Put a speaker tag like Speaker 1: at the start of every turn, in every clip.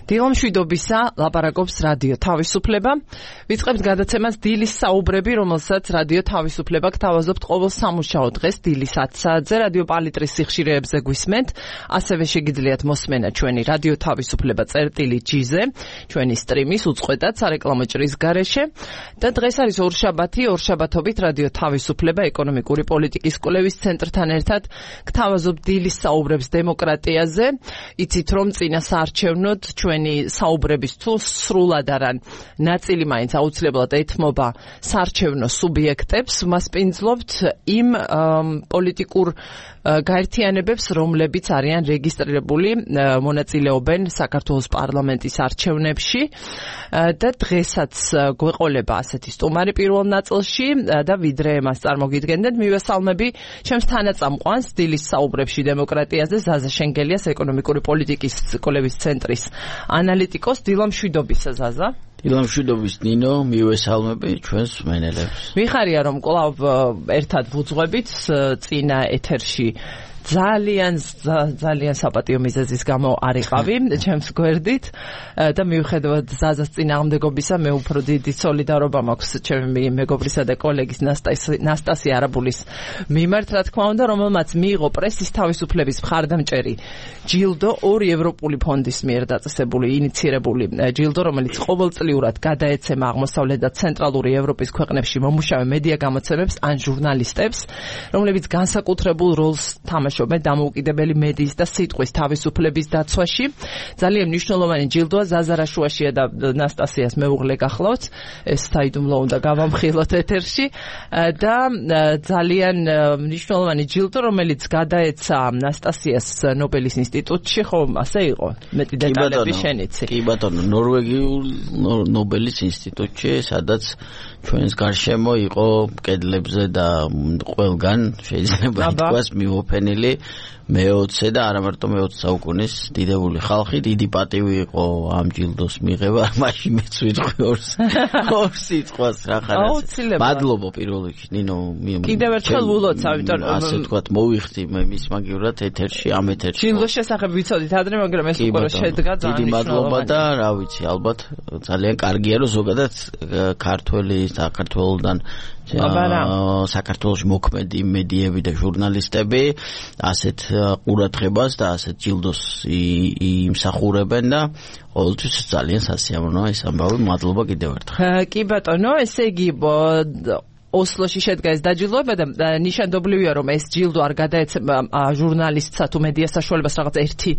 Speaker 1: დილამშვიდობისა ლაპარაკობს რადიო თავისუფლება. ვიწყებთ გადაცემას დილის საუბრები, რომელსაც რადიო თავისუფლება გთავაზობთ ყოველ სამუშაო დღეს დილის 10 საათზე რადიო პალიტრის სიხშირეებზე გვისმენთ. ასევე შეგიძლიათ მოსმენა ჩვენი რადიო თავისუფლება წერტილი.gz-ზე, ჩვენი სტრიმის უწყვეტად სარეკლამო ჭრის გარეშე. და დღეს არის ორშაბათობით რადიო თავისუფლება ეკონომიკური პოლიტიკის კვლევის ცენტრთან ერთად გთავაზობთ დილის საუბრებს დემოკრატიაზე. იცით რომ წინა საარჩევნოდ ჩვენი საუბრების თუ სრულად არან ნაწილი მაინც აუცილებლად ეთმობა საარჩევნო სუბიექტებს, მასპინძლობთ იმ პოლიტიკურ გაერთიანებებს, რომლებიც არიან რეგისტრირებული, მონაწილეობენ საქართველოს პარლამენტის არჩევნებში და დღესაც გვეყოლება ასეთი სტუმარი პირველ ნაწილში და ვიდრე მას წარმოგიდგენდეთ, მივესალმები ჩემს თანაწამყვანს დილის საუბრებში დემოკრატიაზე ზაზა შენგელიას ეკონომიკური პოლიტიკის კვლევის ცენტრის ანალიტიკოს. დილამშვიდობისა ზაზა.
Speaker 2: დილამშვიდობის ნინო, მივესალმები ჩვენს მსმენელებს.
Speaker 1: მიხარია რომ კვლავ ერთად ვუძღვებით წინა ეთერში ძალიან საპატიო მიზეზის გამო არიყავი ჩემს გვერდით და მიუხედავად ზაზას წინააღმდეგობისა მე უფრო დიდი სოლიდარობა მაქვს ჩემი მეგობრისა და კოლეგის ნასტასია არაბულის მიმართ, რა თქმა უნდა, რომელმაც მიიღო პრესის თავისუფლების მხარდამჭერი ჯილდო, ორი ევროპული ფონდის მიერ დაწესებული ინიცირებული ჯილდო, რომელიც ყოველწლიურად გადაეცემა აღმოსავლეთ და ცენტრალური ევროპის ქვეყნებში მომუშავე მედია გამოცემებს ან ჟურნალისტებს, რომლებიც განსაკუთრებულ როლს თამაშობენ დამოუკიდებელი მედიის და სიტყვის თავისუფლების დაცვაში. ძალიან მნიშვნელოვანი ჯილდოა, ზაზა რაშუაშია და ნასტასიას მეუღლე გახლავთ, ეს საიდუმლო უნდა გავამხილოთ ეთერში და ძალიან მნიშვნელოვანი ჯილდო, რომელიც გადაეცა ნასტასიას ნობელის ინსტიტუტში, ხო, ასე იყო? მეტი დეტალები შენიცი.
Speaker 2: კი ბატონო, ნორვეგიულ ნობელის ინსტიტუტში, სადაც ჩვენს გარშემო იყო კედლებზე და ყველგან შეიძლება ითქვას მიოფენილი მე-20 და არა მარტო მე-20 საუკუნის დიდებული ხალხი. დიდი პატივი იყო ამ ჯილდოს მიღება, მაშინ მეც ვიტყვი ორ სიტყვას რა ხარ. მადლობა პირველ რიგში ნინო.
Speaker 1: კიდევ ერთხელ ულოცა, იმიტომ
Speaker 2: ასე ვთქვათ, მოვიხდი მე მის მაგივრად ეთერში, ამ ეთერში.
Speaker 1: ჯილდოს შესახებ ვიცოდით ადრე, მაგრამ ეს უკვე შედგა ძალიან
Speaker 2: დიდი მადლობა და რა ვიცი, ალბათ ძალიან კარგია რომ ზოგადად ქართველი საქართველოსდან საქართველოში მოქმედი მედიები და ჟურნალისტები ასეთ ყურადღებას და ასეთ ჯილდოს იმსახურებენ და ყოველთვის ძალიან სასიამოვნოა ეს ამბავი. მადლობა კიდევ ერთხელ.
Speaker 1: კი ბატონო, ესე იგი ოსლოში შედგა ეს დაჯილდოება და ნიშანდობლივია რომ ეს ჯილდო არ გადაეცემა ჟურნალისტსა თუ მედია საშუალებას რაღაც ერთი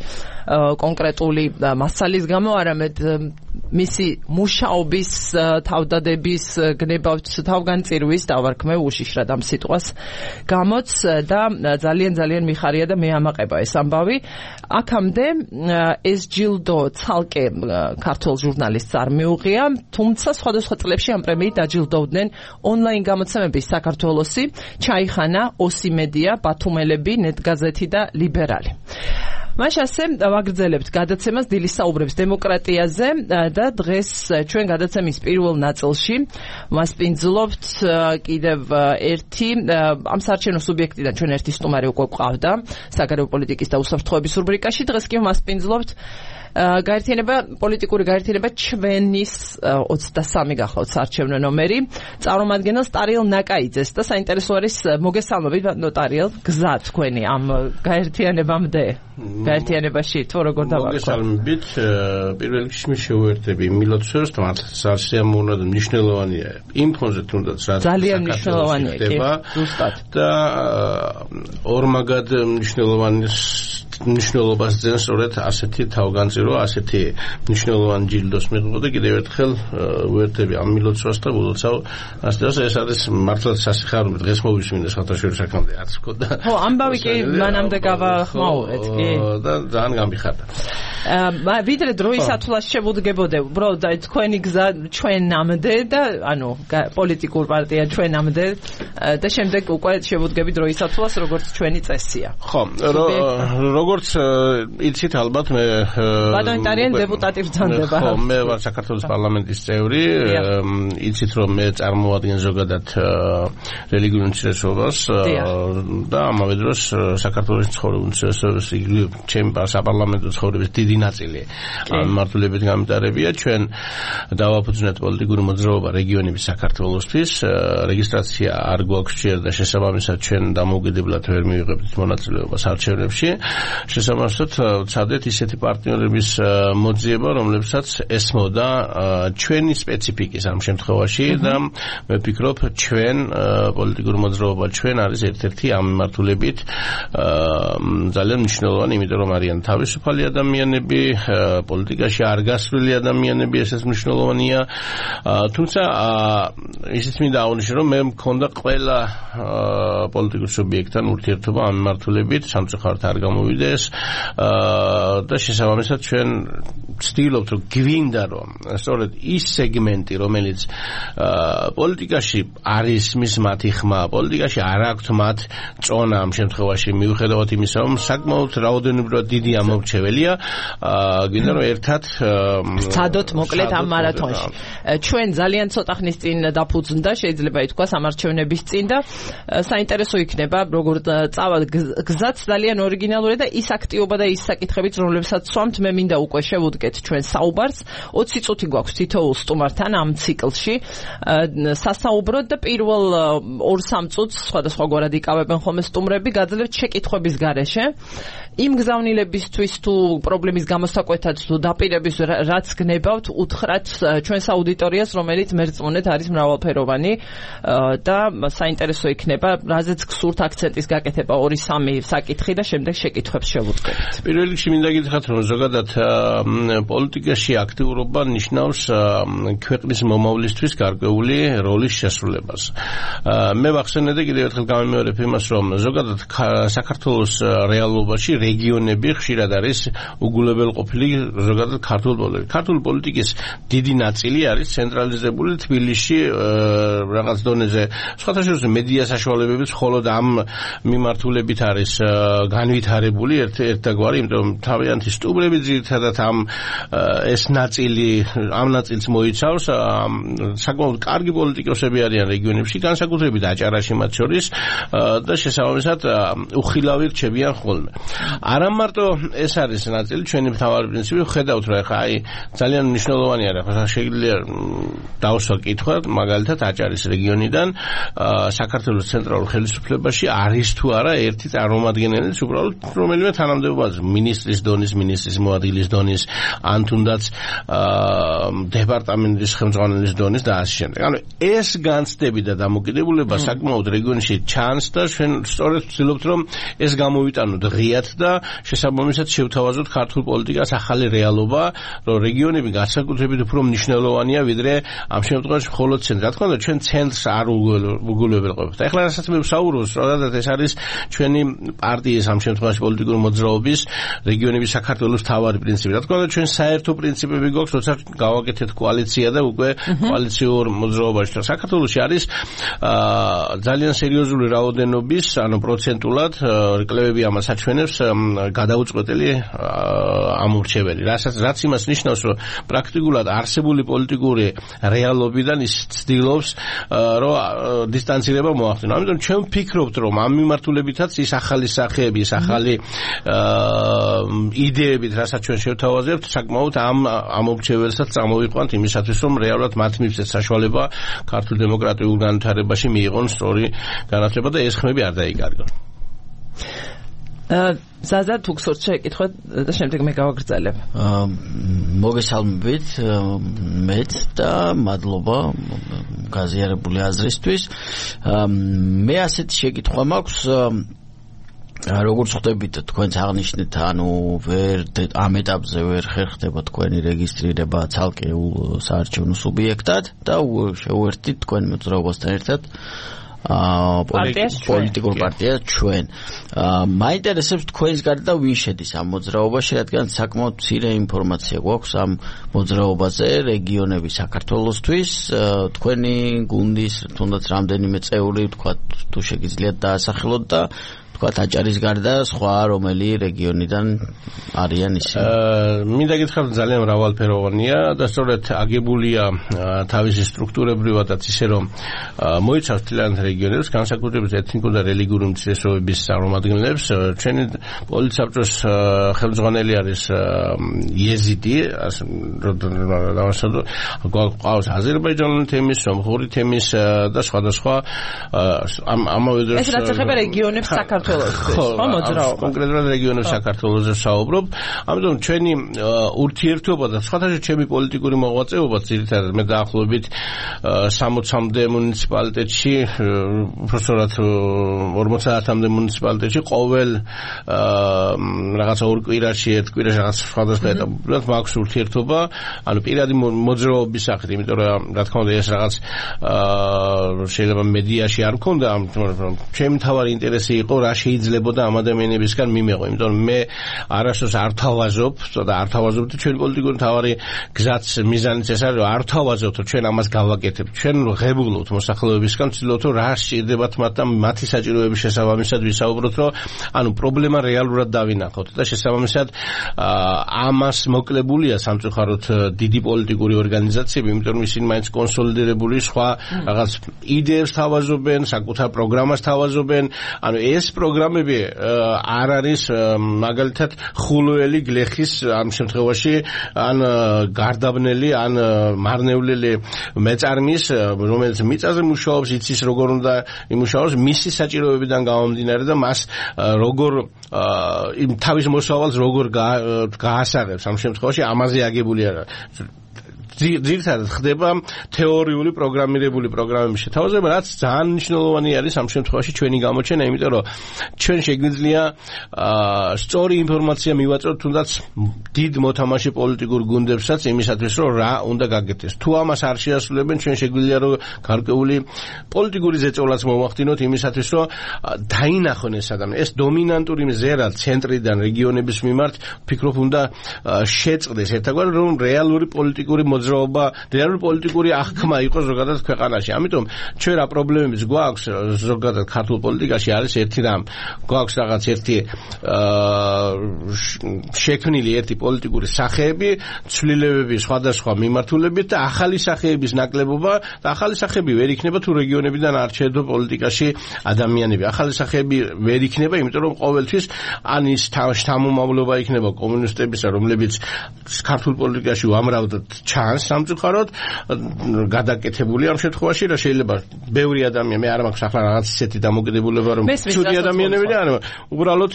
Speaker 1: კონკრეტული მასალის გამო, არამედ მისი მუშაობის თავდადების გნებავთ თავგანწირვის დავარქმე უშიშრად ამ სიტყვას გამოც და ძალიან მიხარია და მე ამაყება ეს ამბავი. აქამდე ეს ჯილდო ცალკე ქართულ ჟურნალისტს არ მიუღია, თუმცა სხვადასხვა წლებში ამ პრემიით დაჯილდოვდნენ ონლაინ გამოცემების საქართველოსი, ჩაიხანა, ოსი მედია, ბათუმელები, ნეტგაზეთი და ლიბერალი. მაშ ასე ვაგრძელებთ გადაცემას დილის საუბრებს დემოკრატიაზე და დღეს ჩვენ გადაცემის პირველ ნაწილში მასპინძლობთ კიდევ ერთი ამ საარჩევნო სუბიექტიდან ჩვენ ერთი სტუმარი უკვე გვყავდა საგარეო პოლიტიკის და უსაფრთხოების რუბრიკაში. დღეს კი მასპინძლობთ პოლიტიკური გაერთიანება ჩვენის 23 გახლავთ საარჩევნო ნომერი წარმომადგენელს ტარიელ ნაკაიძეს და საინტერესო არის მოგესალმებით ნოტარიელ გზა თქვენი ამ გაერთიანებამდე გაერთიანებაში თუ როგორ დავარქვათ.
Speaker 3: მოგესალმებით. პირველ რიგში მე შევერთები მილოცვერს, თუმცა სასიამოვნო და მნიშვნელოვანია იმ ფონზე თუნდაც რაც
Speaker 1: ძალიან მნიშვნელოვანია კი ზუსტად
Speaker 3: და ორმაგად მნიშვნელობას ძენს სწორედ ასეთი თავგანწირო, ასეთი მნიშვნელოვანი ჯილდოს მიღება და კიდევ ერთხელ ვერთები ამ მილოცვას და ულოცავ ასეთას. ეს არის მართლაც სასიხარულო, დღეს მოვისმინე სათავშორის აქამდე არც მქონდა.
Speaker 1: ხო, ამბავი კი მანამდე გავახმაურეთ კი
Speaker 3: და ძალიან გამიხარდა.
Speaker 1: ვიდრე დროის ათვლას შევუდგებოდე, უბრალოდ თქვენი გზა ჩვენამდე და ანუ პოლიტიკურ პარტია ჩვენამდე და შემდეგ უკვე შევუდგები დროის ათვლას, როგორც ჩვენი წესია.
Speaker 3: ხო, როგორც იცით ალბათ მე
Speaker 1: ბატონი არიან დეპუტატი ბრძანდება.
Speaker 3: ხო, მე ვარ საქართველოს პარლამენტის წევრი, იცით რომ მე წარმოადგენ ზოგადად რელიგიურ უმცირესობას და ამავე დროს საქართველოს ცხოვრების უმცირესობის იგივე ჩემი საპარლამენტო ცხოვრების დიდი ნაწილი ამ მართლებით გამიტარებია. ჩვენ დავაფუძნეთ პოლიტიკური მოძრაობა რეგიონების საქართველოსთვის. რეგისტრაცია არ გვაქვს ჯერ და შესაბამისად ჩვენ დამოუკიდებლად ვერ მივიღებთ მონაწილეობას არჩევნებში. შესაბამისად ვცადეთ ისეთი პარტნიორების მოძიება, რომლებსაც ესმოდა ჩვენი სპეციფიკის ამ შემთხვევაში და მე ვფიქრობ ჩვენ პოლიტიკური მოძრაობა ჩვენ არის ერთ-ერთი ამ მიმართულებით ძალიან მნიშვნელოვანი, იმიტომ რომ არიან თავისუფალი ადამიანები, პოლიტიკაში არ გასვლილი ადამიანები, ესეც მნიშვნელოვანია. თუმცა ისიც მინდა აღნიშნო, რომ მე მქონდა ყველა პოლიტიკურ სუბიექტთან ურთიერთობა ამ მიმართულებით, სამწუხაროდ არ გამოვიდეს და შესაბამისად ჩვენ ვცდილობთ რომ გვინდა რომ სწორედ ის სეგმენტი, რომელიც პოლიტიკაში არის მის მათი ხმა, პოლიტიკაში არ აქვთ მათ წონა ამ შემთხვევაში მიუხედავად იმისა, რომ საკმაოდ რაოდენობრივად დიდი ამორჩეველია, გვინდა რომ ერთად
Speaker 1: ვცადოთ მოკლედ ამ მარათონში. ჩვენ ძალიან ცოტა ხნის წინ დაფუძნდა, შეიძლება ითქვას, ამარჩევნების წინ და საინტერესო იქნება, როგორ წავალ გზაც ძალიან ორიგინალური და ის აქტივობა და ის საკითხებიც, რომლებსაც სვამთ, მე მინდა უკვე შევუდგეთ ჩვენ საუბარს. 20 წუთი გვაქვს თითოეულ სტუმართან ამ ციკლში სასაუბროდ და პირველ 2-3 წუთს სხვადასხვაგვარად იკავებენ ხოლმე სტუმრები, გაძლევთ შეკითხვების გარეშე. იმ გზავნილებისთვის თუ პრობლემის გამოსაკვეთად თუ დაპირების რაც გნებავთ, უთხრათ ჩვენს აუდიტორიას, რომელიც მერწმუნეთ არის მრავალფეროვანი და საინტერესო იქნება, რაზეც გსურთ აქცენტის გაკეთება 2-3 საკითხი და შემდეგ შეკითხვებს შევუდგებით.
Speaker 3: პირველ რიგში მინდა გითხრათ, რომ ზოგადად პოლიტიკაში აქტიურობა ნიშნავს ქვეყნის მომავლისთვის გარკვეული როლის შესრულებას. მე ვახსენე და კიდევ ერთხელ გამიმეორებ იმას, რომ ზოგადად საქართველოს რეალობაში რეგიონები ხშირად არის უგულებელყოფილი ზოგადად ქართულ პოლიტიკაში. ქართული პოლიტიკის დიდი ნაწილი არის ცენტრალიზებული თბილისში რაღაც დონეზე. სხვათაშორის მედია საშუალებებიც მხოლოდ ამ მიმართულებით არის განვითარებული ერთგვარი, იმიტომ რომ თავიანთი სტუმრები ძირითადად ეს ნაწილი ამ ნაწილს მოიცავს. საკმაოდ კარგი პოლიტიკოსები არიან რეგიონებში, განსაკუთრებით აჭარაში მათ შორის და შესაბამისად უხილავი რჩებიან ხოლმე. არა მარტო ეს არის ნაწილი, ჩვენი მთავარი პრინციპი ხედავთ, რომ ხა ძალიან მნიშვნელოვანი არის, ხა შეიძლება დავსვა კითხვა, მაგალითად აჭარის რეგიონიდან საქართველოს ცენტრალურ ხელისუფლებაში არის თუ არა ერთი წარმომადგენელი, უბრალოდ რომელიმე თანამდებობაზე, მინისტრის დონის, მინისტრის მოადგილის დონის, ან თუნდაც დეპარტამენტის ხელმძღვანელის დონის და ასე შემდეგ. ანუ ეს განცდები და დამოკიდებულება საკმაოდ რეგიონში ჩანს და ჩვენ სწორედ ვცდილობთ რომ ეს გამოვიტანოთ ღიად და შესაბამისად შევთავაზოთ ქართულ პოლიტიკას ახალი რეალობა, რომ რეგიონები განსაკუთრებით უფრო მნიშვნელოვანია ვიდრე ამ შემთხვევაში მხოლოდ ცენტრი. რა თქმა უნდა, ჩვენ ცენტრს არ უგულებელყოფებთ. ეხლა რასაც მე ვსაუბრობ, სწორად ეს არის ჩვენი პარტიის ამ შემთხვევაში პოლიტიკური მოძრაობის რეგიონების საქართველოს მთავარი პრინციპი. რა თქმა უნდა, ჩვენ საერთო პრინციპები გვაქვს, როცა გავაკეთეთ კოალიცია და უკვე კოალიციურ მოძრაობაში. საქართველოში არის ძალიან სერიოზული რაოდენობის, ანუ პროცენტულად კლებები ამას აჩვენებს გადაუწყვეტელი ამორჩეველი. რაც იმას ნიშნავს, რომ პრაქტიკულად არსებული პოლიტიკური რეალობიდან ის ცდილობს, რომ დისტანცირება მოახდინოს. ამიტომ ჩვენ ვფიქრობთ, რომ ამ მიმართულებითაც ის ახალი სახეები, ის ახალი იდეებით, რასაც ჩვენ შევთავაზებთ, საკმაოდ ამ ამორჩეველსაც წამოვიყვანთ იმისათვის, რომ რეალურად მათ მივცეთ საშუალება ქართულ დემოკრატიულ განვითარებაში მიიღონ სწორი განათლება და ეს ხმები არ დაიკარგონ.
Speaker 1: ზაზა თუ გსურთ შეკითხვა და შემდეგ მე გავაგრძელებ.
Speaker 2: მოგესალმებით მეც და მადლობა გაზიარებული აზრისთვის. მე ასეთი შეკითხვა მაქვს, როგორც ხვდებით თქვენც აღნიშნეთ, ანუ ამ ეტაპზე ვერ ხერხდება თქვენი რეგისტრირება ცალკეულ საარჩევნო სუბიექტად და შეუერთდით თქვენ მოძრაობასთან ერთად პოლიტიკურ პარტიას ჩვენ. მაინტერესებს თქვენს გარდა ვინ შედის ამ მოძრაობაში, რადგან საკმაოდ მცირე ინფორმაცია გვაქვს ამ მოძრაობაზე რეგიონების საქართველოსთვის. თქვენი გუნდის თუნდაც რამდენიმე წევრი, თქვა თუ შეგიძლიათ დაასახელოთ და თქვა აჭარის გარდა სხვა რომელი რეგიონიდან არიან ისინი?
Speaker 3: მინდა გითხრათ ძალიან მრავალფეროვანია და სწორედ აგებულია თავისი სტრუქტურებრივადაც ისე რომ მოიცავს მთლიანად რეგიონებს, განსაკუთრებით ეთნიკურ და რელიგიური უმცირესობების წარმომადგენლებს. ჩვენი პოლიტსაბჭოს ხელმძღვანელი არის იეზიდი, გვყავს აზერბაიჯანული თემის, სომხური თემის და სხვადასხვა ამავე დროს
Speaker 1: ეს რაც ეხება რეგიონებს საქართველოსთვის, ხო მოძრაობა.
Speaker 3: კონკრეტულად რეგიონებს საქართველოსზე საუბრობ. ამიტომ ჩვენი ურთიერთობა და სხვადასხვა ჩემი პოლიტიკური მოღვაწეობა ძირითადად მე დაახლოებით 60-მდე მუნიციპალიტეტში, უბრალოდ 50-მდე მუნიციპალიტეტში ყოველ რაღაცა ორ კვირაში, ერთ კვირაში რაღაც სხვადასხვა ეტაპურად მაქვს ურთიერთობა, ანუ პირადი მოძრაობის სახით, იმიტომ რომ რა თქმა უნდა ეს რაღაც შეიძლება მედიაში არ მქონდა, ამიტომ ჩემი თავარი ინტერესი იყო რა შეიძლებოდა ამ ადამიანებისგან მიმეღო, იმიტომ რომ მე არასდროს არ თავაზობ და არ თავაზობთ ჩვენი პოლიტიკური თავარი გზაც მიზანიც ეს არის რომ არ თავაზობთ რომ ჩვენ ამას გავაკეთებთ, ჩვენ ღებულობთ მოსახლეობისგან, ვცდილობთ რომ რა სჭირდებათ მათ და მათი საჭიროების შესაბამისად ვისაუბროთ, რომ ანუ პრობლემა რეალურად დავინახოთ და შესაბამისად ამას მოკლებულია სამწუხაროდ დიდი პოლიტიკური ორგანიზაციები, იმიტომ რომ ისინი მაინც კონსოლიდირებული სხვა რაღაც იდეებს თავაზობენ, საკუთარ პროგრამას თავაზობენ. ანუ ეს პროგრამები არ არის მაგალითად ხულოელი გლეხის ამ შემთხვევაში ან გარდაბნელი ან მარნევლელი მეწარმის, რომელიც მიწაზე მუშაობს, იცის როგორ უნდა იმუშაოს მისი საჭიროებიდან გამომდინარე და მას როგორ იმ თავის მოსავალს როგორ გაასაღებს ამ შემთხვევაში ამაზე აგებული არა. ძირითადად ხდება თეორიული პროგრამირებული პროგრამების შეთავაზება, რაც ძალიან მნიშვნელოვანი არის ამ შემთხვევაში ჩვენი გამოჩენა, იმიტომ რომ ჩვენ შეგვიძლია სწორი ინფორმაცია მივაწვევთ თუნდაც დიდ მოთამაშე პოლიტიკურ გუნდებსაც იმისათვის, რომ რა უნდა გაკეთდეს. თუ ამას არ შეასრულებენ, ჩვენ შეგვიძლია რომ გარკვეული პოლიტიკური ზეწოლაც მოვახდინოთ იმისათვის, რომ დაინახონ ეს ადამიანი. ეს დომინანტური მზერა ცენტრიდან რეგიონების მიმართ ვფიქრობ უნდა შეწყდეს ერთგვარი, რომ რეალური პოლიტიკური რეალური პოლიტიკური აღქმა იყოს ზოგადად ქვეყანაში. ამიტომ ჩვენ რა პრობლემებიც გვაქვს ზოგადად ქართულ პოლიტიკაში არის ერთი რამ. გვაქვს რაღაც ერთი შექმნილი ერთი პოლიტიკური სახეები, ცვლილებები სხვადასხვა მიმართულებით და ახალი სახეების ნაკლებობა და ახალი სახეები ვერ იქნება თუ რეგიონებიდან არ შეეძლო პოლიტიკაში ადამიანები. ახალი სახეები ვერ იქნება, იმიტომ რომ ყოველთვის ან ის შთამომავლობა იქნება კომუნისტებისა, რომლებიც ქართულ პოლიტიკაში უამრავად ჩანს სამწუხაროდ გადაკეთებული ამ შემთხვევაში რა შეიძლება ბევრი ადამიანი მე არ მაქვს ახლა რაღაც ისეთი დამოკიდებულება რომ ცუდი ადამიანები და არა უბრალოდ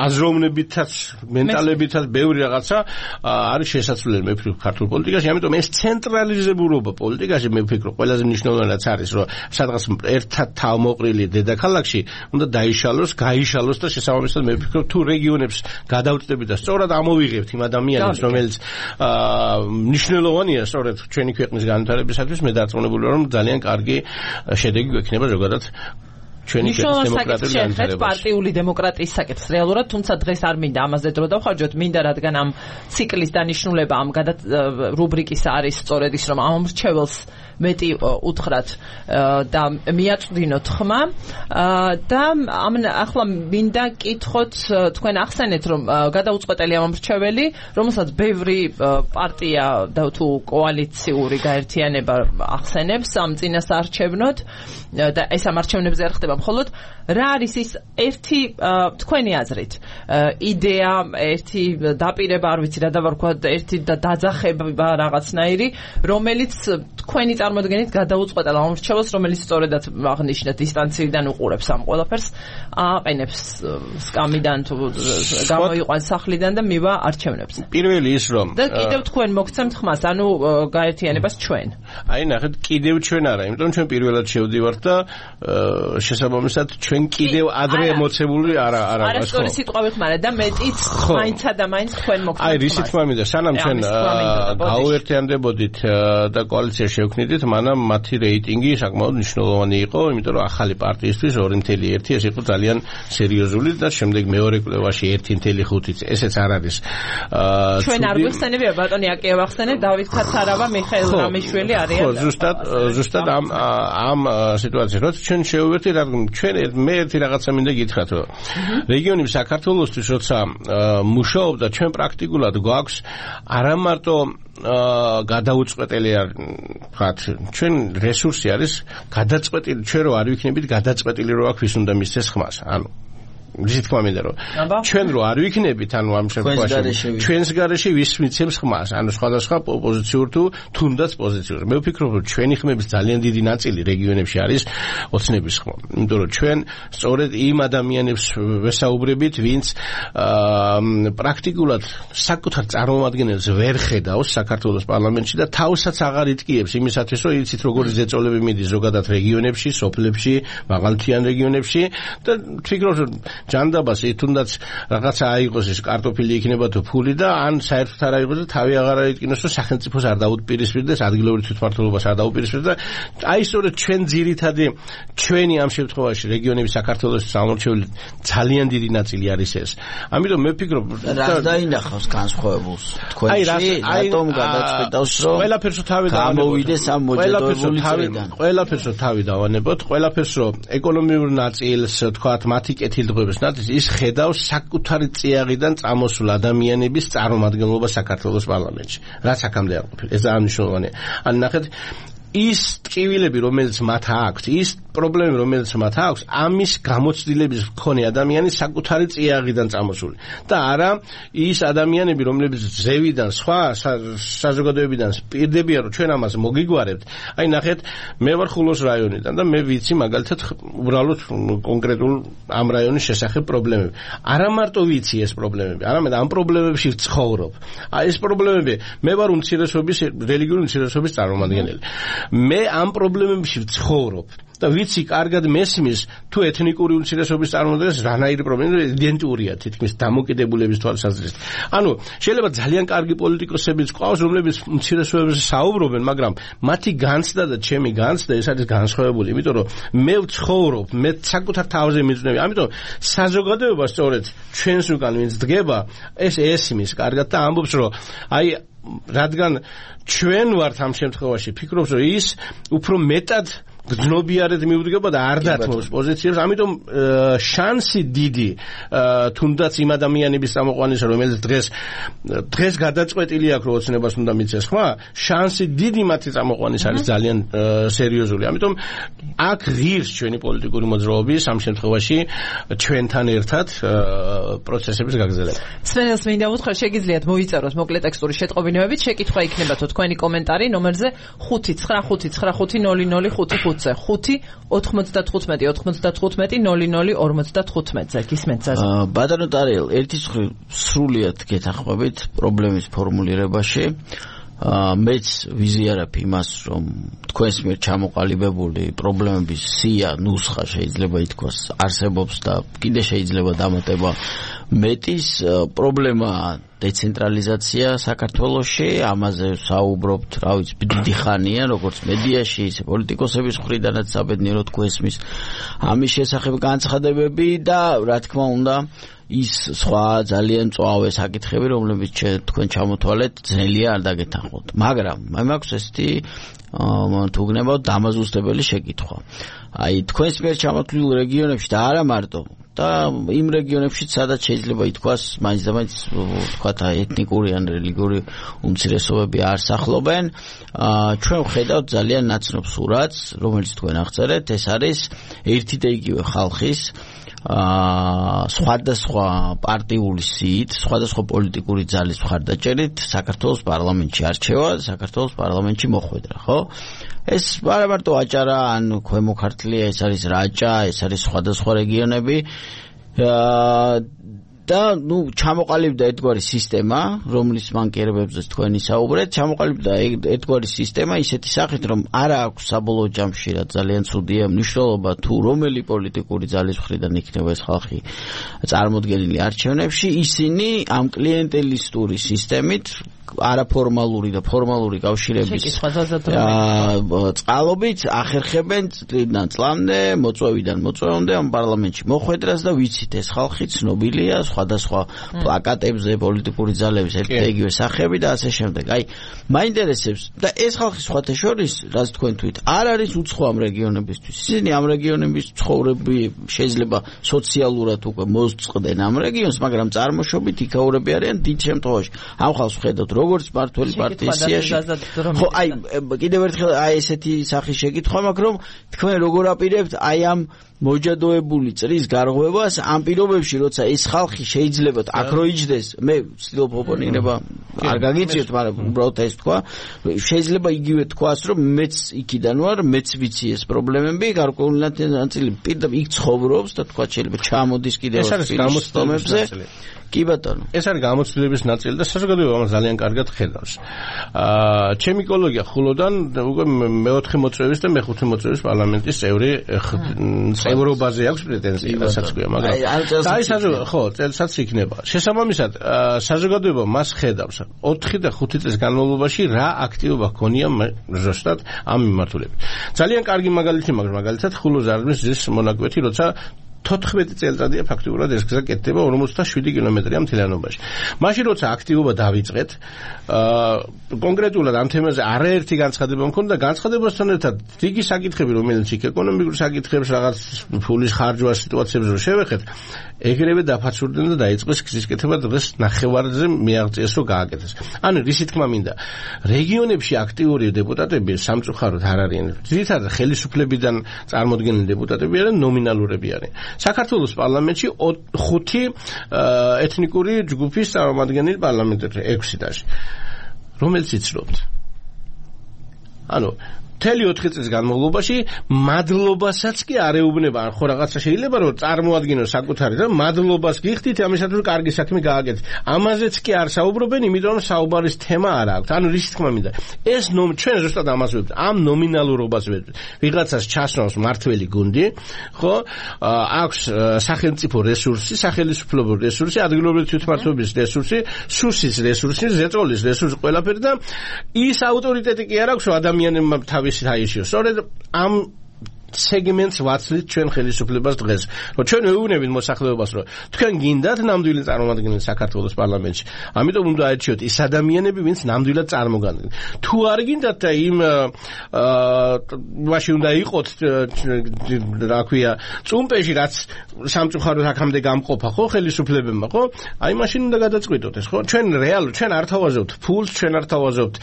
Speaker 3: აზროვნებითაც მენტალებითაც ბევრი რაღაცა არის შესაძლებელი მე ვფიქრობ ქართულ პოლიტიკაში, ამიტომ ეს ცენტრალიზებულობა პოლიტიკაში მე ვფიქრობ ყველაზე მნიშვნელოვანიც არის რომ სადღაც ერთად თავმოყრილი დედაქალაქში უნდა დაიშალოს, გაიშალოს და შესაბამისად მე ვფიქრობ თუ რეგიონებს გადავწდებით და სწორად ამოვიღებთ იმ ადამიანებს რომელიც მნიშვნელოვანია სწორედ ჩვენი ქვეყნის განვითარებისათვის, მე დარწმუნებული ვარ რომ ძალიან კარგი შედეგი გვექნება ზოგადად ჩვენი დემოკრატიული განვითარებაში.
Speaker 1: პარტიული დემოკრატიის საკითხს რეალურად, თუმცა დღეს არ მინდა ამაზე დრო დავხარჯოთ, მინდა რადგან ამ ციკლის დანიშნულება ამ რუბრიკის არის სწორედ ის რომ ამ მრჩეველს მეტი უთხრათ და მიაწვდინოთ ხმა და ახლა მინდა კითხოთ თქვენ ახსენეთ რომ გადაუწყვეტელი ამ მრჩეველი, რომელსაც ბევრი პარტია და თუ კოალიციური გაერთიანება ახსენებს ამ წინასაარჩევნოდ და ეს ამ არჩევნებზე არ ხდება მხოლოდ, რა არის ის ერთი თქვენი აზრით იდეა, ერთი დაპირება, არ ვიცი რა დავარქვა, ერთი დაძახება რაღაცნაირი, რომელიც თქვენი წარმოდგენით გადაუწყვეტელ ამ მრჩეველს, რომელიც სწორედაც აღნიშნეთ დისტანციიდან უყურებს ამ ყველაფერს, აყენებს სკამიდან თუ გამოიყვანს სახლიდან და მივა არჩევნებზე.
Speaker 3: პირველი ის რომ
Speaker 1: და კიდევ თქვენ მოგცემთ ხმას, ანუ გაერთიანებას ჩვენ.
Speaker 3: აი ნახეთ, კიდევ ჩვენ არა, იმიტომ ჩვენ პირველად შევდივართ და შესაბამისად ჩვენ კიდევ ადრე მოცემული არა
Speaker 1: არასწორი სიტყვა ვიხმარეთ და მეტიც მაინცა და მაინც თქვენ მოგცემთ.
Speaker 3: აი რისი თქმა მინდა, სანამ ჩვენ გავუერთიანდებოდით და კოალიცია შევქმნით, მიხედვით, მანამ მათი რეიტინგი საკმაოდ მნიშვნელოვანი იყო, იმიტომ რომ ახალი პარტიისთვის 2.1 ეს იყო ძალიან სერიოზული და შემდეგ მეორე კვლევაში 1.5 ესეც არ არის.
Speaker 1: ჩვენ არ გვიხსენებია ბატონი აკია ვახსენე, დავით ქაცარავა, მიხეილ რამიშვილი არიან.
Speaker 3: ხო, ზუსტად ამ სიტუაციაში როცა ჩვენ შევვერთით, ჩვენ მე ერთი რაღაცა მინდა გითხრათ, რომ რეგიონი საქართველოსთვის როცა მუშაობდა, ჩვენ პრაქტიკულად გვაქვს არა მარტო გადაუწყვეტელი ვთქვათ, ჩვენ რესურსი არის გადაწყვეტილი, ჩვენ რო არ ვიქნებით გადაწყვეტილი რო აქვს ვის უნდა მისცეს ხმას. ანუ ისი თქვა მინდა რომ ჩვენ რო არ ვიქნებით, ანუ ამ შემთხვევაში ჩვენს გარეშე ვის მიცემს ხმას, ანუ სხვადასხვა პოზიციურ თუ თუნდაც პოზიციურ. მე ვფიქრობ, რომ ჩვენი ხმების ძალიან დიდი ნაწილი რეგიონებში არის ოცნების ხმა. იმიტომ რომ ჩვენ სწორედ იმ ადამიანებს ვესაუბრებით, ვინც პრაქტიკულად საკუთარ წარმომადგენელს ვერ ხედავს საქართველოს პარლამენტში და თავსაც აღარ იტკიებს იმისათვის, რომ იცით როგორი ზეწოლები მიდის ზოგადად რეგიონებში, სოფლებში, მაღალმთიან რეგიონებში და ვფიქრობ, რომ ჯანდაბას თუნდაც რაღაცა აიღოს ის კარტოფილი იქნება თუ ფული და ან საერთოდ არ აიღოს და თავი აღარ აიტკინოს, რომ სახელმწიფოს არ დაუპირისპირდეს, ადგილობრივ თვითმმართველობას არ დაუპირისპირდეს და აი სწორედ ჩვენ ძირითადი ჩვენი ამ შემთხვევაში რეგიონების საქართველოს სამორჩეული ძალიან დიდი ნაწილი არის ეს. ამიტომ მე ვფიქრობ,
Speaker 2: რა დაინახავს განსხვავებულს თქვენში, რატომ გადაწყვეტავს, რომ ყველაფერს თავი გამოვიდეს ამ მოჯადოებული წრიდან.
Speaker 3: ყველაფერს თავი დავანებოთ, ყველაფერს ეკონომიურ ნაწილს, თქვათ, მათი კეთილდღეობის ის ხედავს საკუთარი წიაღიდან წამოსულ ადამიანების წარმომადგენლობა საქართველოს პარლამენტში. რაც აქამდე არ ყოფილა. ეს ძალიან მნიშვნელოვანია. ან ნახეთ ის ტკივილები, რომელიც მათ აქვს, ის პრობლემები, რომელიც მათ აქვს, ამის გამოცდილების მქონე ადამიანი საკუთარი წიაღიდან წამოსული. და არა ის ადამიანები, რომლებიც ზევიდან, სხვა საზოგადოებიდან პირდებიან, რომ ჩვენ ამას მოგიგვარებთ. აი ნახეთ, მე ვარ ხულოს რაიონიდან და მე ვიცი მაგალითად უბრალოდ კონკრეტულ ამ რაიონის შესახებ პრობლემები. არა მარტო ვიცი ეს პრობლემები, არამედ ამ პრობლემებში ვცხოვრობ. აი ეს პრობლემები, მე ვარ უმცირესობის რელიგიური უმცირესობის წარმომადგენელი. მე ამ პრობლემებში ვცხოვრობ და ვიცი კარგად მესმის თუ ეთნიკური უმცირესობის წარმომადგენელს რანაირი პრობლემა იდენტურია თითქმის დამოკიდებულების თვალსაზრისით. ანუ შეიძლება ძალიან კარგი პოლიტიკოსებიც ყავს, რომლებიც უმცირესობებზე საუბრობენ, მაგრამ მათი განცდა და ჩემი განცდა ეს არის განსხვავებული, იმიტომ რომ მე ვცხოვრობ, მე საკუთარ თავზე მიწვნევი. ამიტომ საზოგადოება სწორედ ჩვენს უკან ვინც დგება, ეს ესმის კარგად და ამბობს, რომ აი რადგან ჩვენ ვართ ამ შემთხვევაში, ფიქრობს, რომ ის უფრო მეტად გძნობიარად მიუდგება და არ დათმობს პოზიციებს, ამიტომ შანსი დიდი თუნდაც იმ ადამიანების წამოყვანისა, რომელიც დღეს გადაწყვეტილი აქვს, რომ ოცნებას უნდა მიცეს ხმა, შანსი დიდი მათი წამოყვანის არის ძალიან სერიოზული. ამიტომ აქ ღირს ჩვენი პოლიტიკური მოძრაობის ამ შემთხვევაში ჩვენთან ერთად პროცესების გაგრძელება.
Speaker 1: სვენელს მინდა უთხრა, შეგიძლიათ მოიწეროთ მოკლე ტექსტური შეტყობინებებით, შეკითხვა იქნება თუ თქვენი კომენტარი ნომერზე 5955005 5-95-95-00-55-00-55-00-55-ზე გისმენთ ზაზა.
Speaker 2: ბატონო ტარიელ, ერთი სრულიად გეთანხმებით პრობლემის ფორმულირებაში. მეც ვიზიარებ იმას, რომ თქვენს მიერ ჩამოყალიბებული პრობლემების სია, ნუსხა შეიძლება ითქვას არსებობს და კიდე შეიძლება დამატება მეტის პრობლემა დეცენტრალიზაცია საქართველოში, ამაზე საუბრობთ, რა ვიცი, დიდი ხანია, როგორც მედიაში, ისე პოლიტიკოსების მხრიდანაც საბედნიეროდ გვესმის ამის შესახებ განცხადებები და რა თქმა უნდა ის სხვა ძალიან მწვავე საკითხები, რომლებიც თქვენ ჩამოთვალეთ, ძნელია არ დაგეთანხმოთ. მაგრამ მე მაქვს ესეთი თუ გნებავთ დამაზუსტებელი შეკითხვა. აი თქვენს მიერ ჩამოთვლილ რეგიონებში და არა მარტო და იმ რეგიონებში, სადაც შეიძლება ითქვას, მაინც და მაინც თქვათ ეთნიკური ან რელიგიური უმცირესობები არ სახლობენ, ჩვენ ვხედავთ ძალიან ნაცნობ სურათს, რომელიც თქვენ აღწერეთ, ეს არის ერთი და იგივე ხალხის სხვადასხვა პარტიული სიით, სხვადასხვა პოლიტიკური ძალის მხარდაჭერით საქართველოს პარლამენტში არჩევა, საქართველოს პარლამენტში მოხვედრა, ხო? ეს არა მარტო აჭარა ან ქვემო ქართლია, ეს არის რაჭა, ეს არის სხვადასხვა რეგიონები და ჩამოყალიბდა ერთგვარი სისტემა, რომლის მანკიერებებზე თქვენი საუბრეთ, ჩამოყალიბდა ერთგვარი სისტემა ისეთი სახით, რომ არა აქვს საბოლოო ჯამში რა ძალიან ცუდია მნიშვნელობა თუ რომელი პოლიტიკური ძალის მხრიდან იქნება ეს ხალხი წარმოდგენილი არჩევნებში, ისინი ამ კლიენტელისტური სისტემით არაფორმალური და ფორმალური კავშირების წყალობით ახერხებენ წლიდან წლამდე, მოწვევიდან მოწვევამდე ამ პარლამენტში მოხვედრას და ვიცით ეს ხალხი ცნობილია სხვადასხვა პლაკატებზე, პოლიტიკური ძალების ერთ-ერთი სახეები და ასე შემდეგ. აი, მაინტერესებს და ეს ხალხი სხვათა შორის, რაც თქვენ თქვით, არ არის უცხო ამ რეგიონებისთვის. ისინი ამ რეგიონების ცხოვრები შეიძლება სოციალურად უკვე მოსწყდნენ ამ რეგიონს, მაგრამ წარმოშობით იქაურები არიან დიდ შემთხვევაში. ამ ხალხს ხედავთ როგორც მართველი პარტიის სიაში. ხო, აი, კიდევ ერთხელ აი ესეთი სახის შეკითხვა მაქვს, რომ თქვენ როგორ აპირებთ აი ამ მოჯადოებული წრის გარღვევას ამ პირობებში, როცა ეს ხალხი შეიძლება აქ რო იჯდეს, მე ვცდილობ ოპონირება არ გაგიწიოთ, მაგრამ უბრალოდ ეს თქვა, შეიძლება იგივე თქვას, რომ მეც იქიდან ვარ, მეც ვიცი ეს პრობლემები, გარკვეული ნაწილი პირდაპირ იქ ცხოვრობს და თქვა შეიძლება ჩამოდის კიდევ გამოცდილებებზე. კი ბატონო.
Speaker 3: ეს არის გამოცდილების ნაწილი და საზოგადოება ამას ძალიან კარგად ხედავს. ჩემი კოლეგია ხულოდან უკვე მეოთხე მოწვევის და მეხუთე მოწვევის პარლამენტის წევრობაზე აქვს პრეტენზია, რასაც ქვია, მაგრამ აი წელსაც იქნება. შესაბამისად, საზოგადოება მას ხედავს 4 და 5 წლის განმავლობაში რა აქტივობა ჰქონია ზუსტად ამ მიმართულებით. ძალიან კარგი მაგალითი მაქვს, მაგალითად ხულოზარდმის ზის მონაკვეთი, როცა 14 წელიწადია ფაქტიურად ეს გზა კეთდება 47 კილომეტრია მთლიანობაში. მაშინ როცა აქტივობა დავიწყეთ, კონკრეტულად ამ თემაზე არაერთი განცხადება მქონდა, განცხადებასთან ერთად დიდი საკითხები, რომელიც იქ ეკონომიკური საკითხებს, რაღაც ფულის ხარჯვა სიტუაციებს რო შევეხეთ, ეგრევე დაფაცურდნენ და დაიწყეს გზის კეთება დღეს ნახევარზე მიაღწიეს რომ გააკეთეს. ანუ რისი თქმა მინდა, რეგიონებში აქტიური დეპუტატები სამწუხაროდ არ არიან. ძირითადად ხელისუფლებიდან წარმოდგენილი დეპუტატები არიან, ნომინალურები არიან. საქართველოს პარლამენტში 5 ეთნიკური ჯგუფის წარმომადგენელი პარლამენტებში 6 დაში. რომელიც იცნობთ. ანუ მთელი 4 წლის განმავლობაში მადლობასაც კი არეუბნება, ხო რაღაცა შეიძლება რომ წარმოადგინოს საკუთარი და მადლობას გიხდით ამისათვის რომ კარგი საქმე გააკეთეთ. ამაზეც კი არ საუბრობენ, იმიტომ რომ საუბარის თემა არ აქვს. ანუ რის თქმა მინდა, ეს ჩვენ ზუსტად ამას ვებთ, ამ ნომინალურობას ვებთ. ვიღაცას ჩასვავს მართველი გუნდი, ხო? აქვს სახელმწიფო რესურსი, სახელმწიფო რესურსი, ადგილობრივი თვითმმართველობის რესურსი, სუსის რესურსი, ზეწოლის რესურსი ყველაფერი და ის ავტორიტეტი კი არ აქვს, რომ ადამიანებმა თავის აიშიოს. სწორედ ამ სეგმენტს ვაცლით ჩვენ ხელისუფლებას დღეს. რომ ჩვენ ვეუბნებით მოსახლეობას, რომ თქვენ გინდათ ნამდვილი წარმომადგენელი საქართველოს პარლამენტში. ამიტომ უნდა აერჩიოთ ის ადამიანები, ვინც ნამდვილად წარმოგადგენენ. თუ არ გინდათ და იმ მაშინ უნდა იყოთ, რა ქვია, წუმპეში, რაც სამწუხაროდ აქამდე გამყოფა, ხო, ხელისუფლებებმა, ხო? აი მაშინ უნდა გადაწყვიტოთ ეს, ხო? ჩვენ რეალურად ჩვენ არ თავაზობთ ფულს, ჩვენ არ თავაზობთ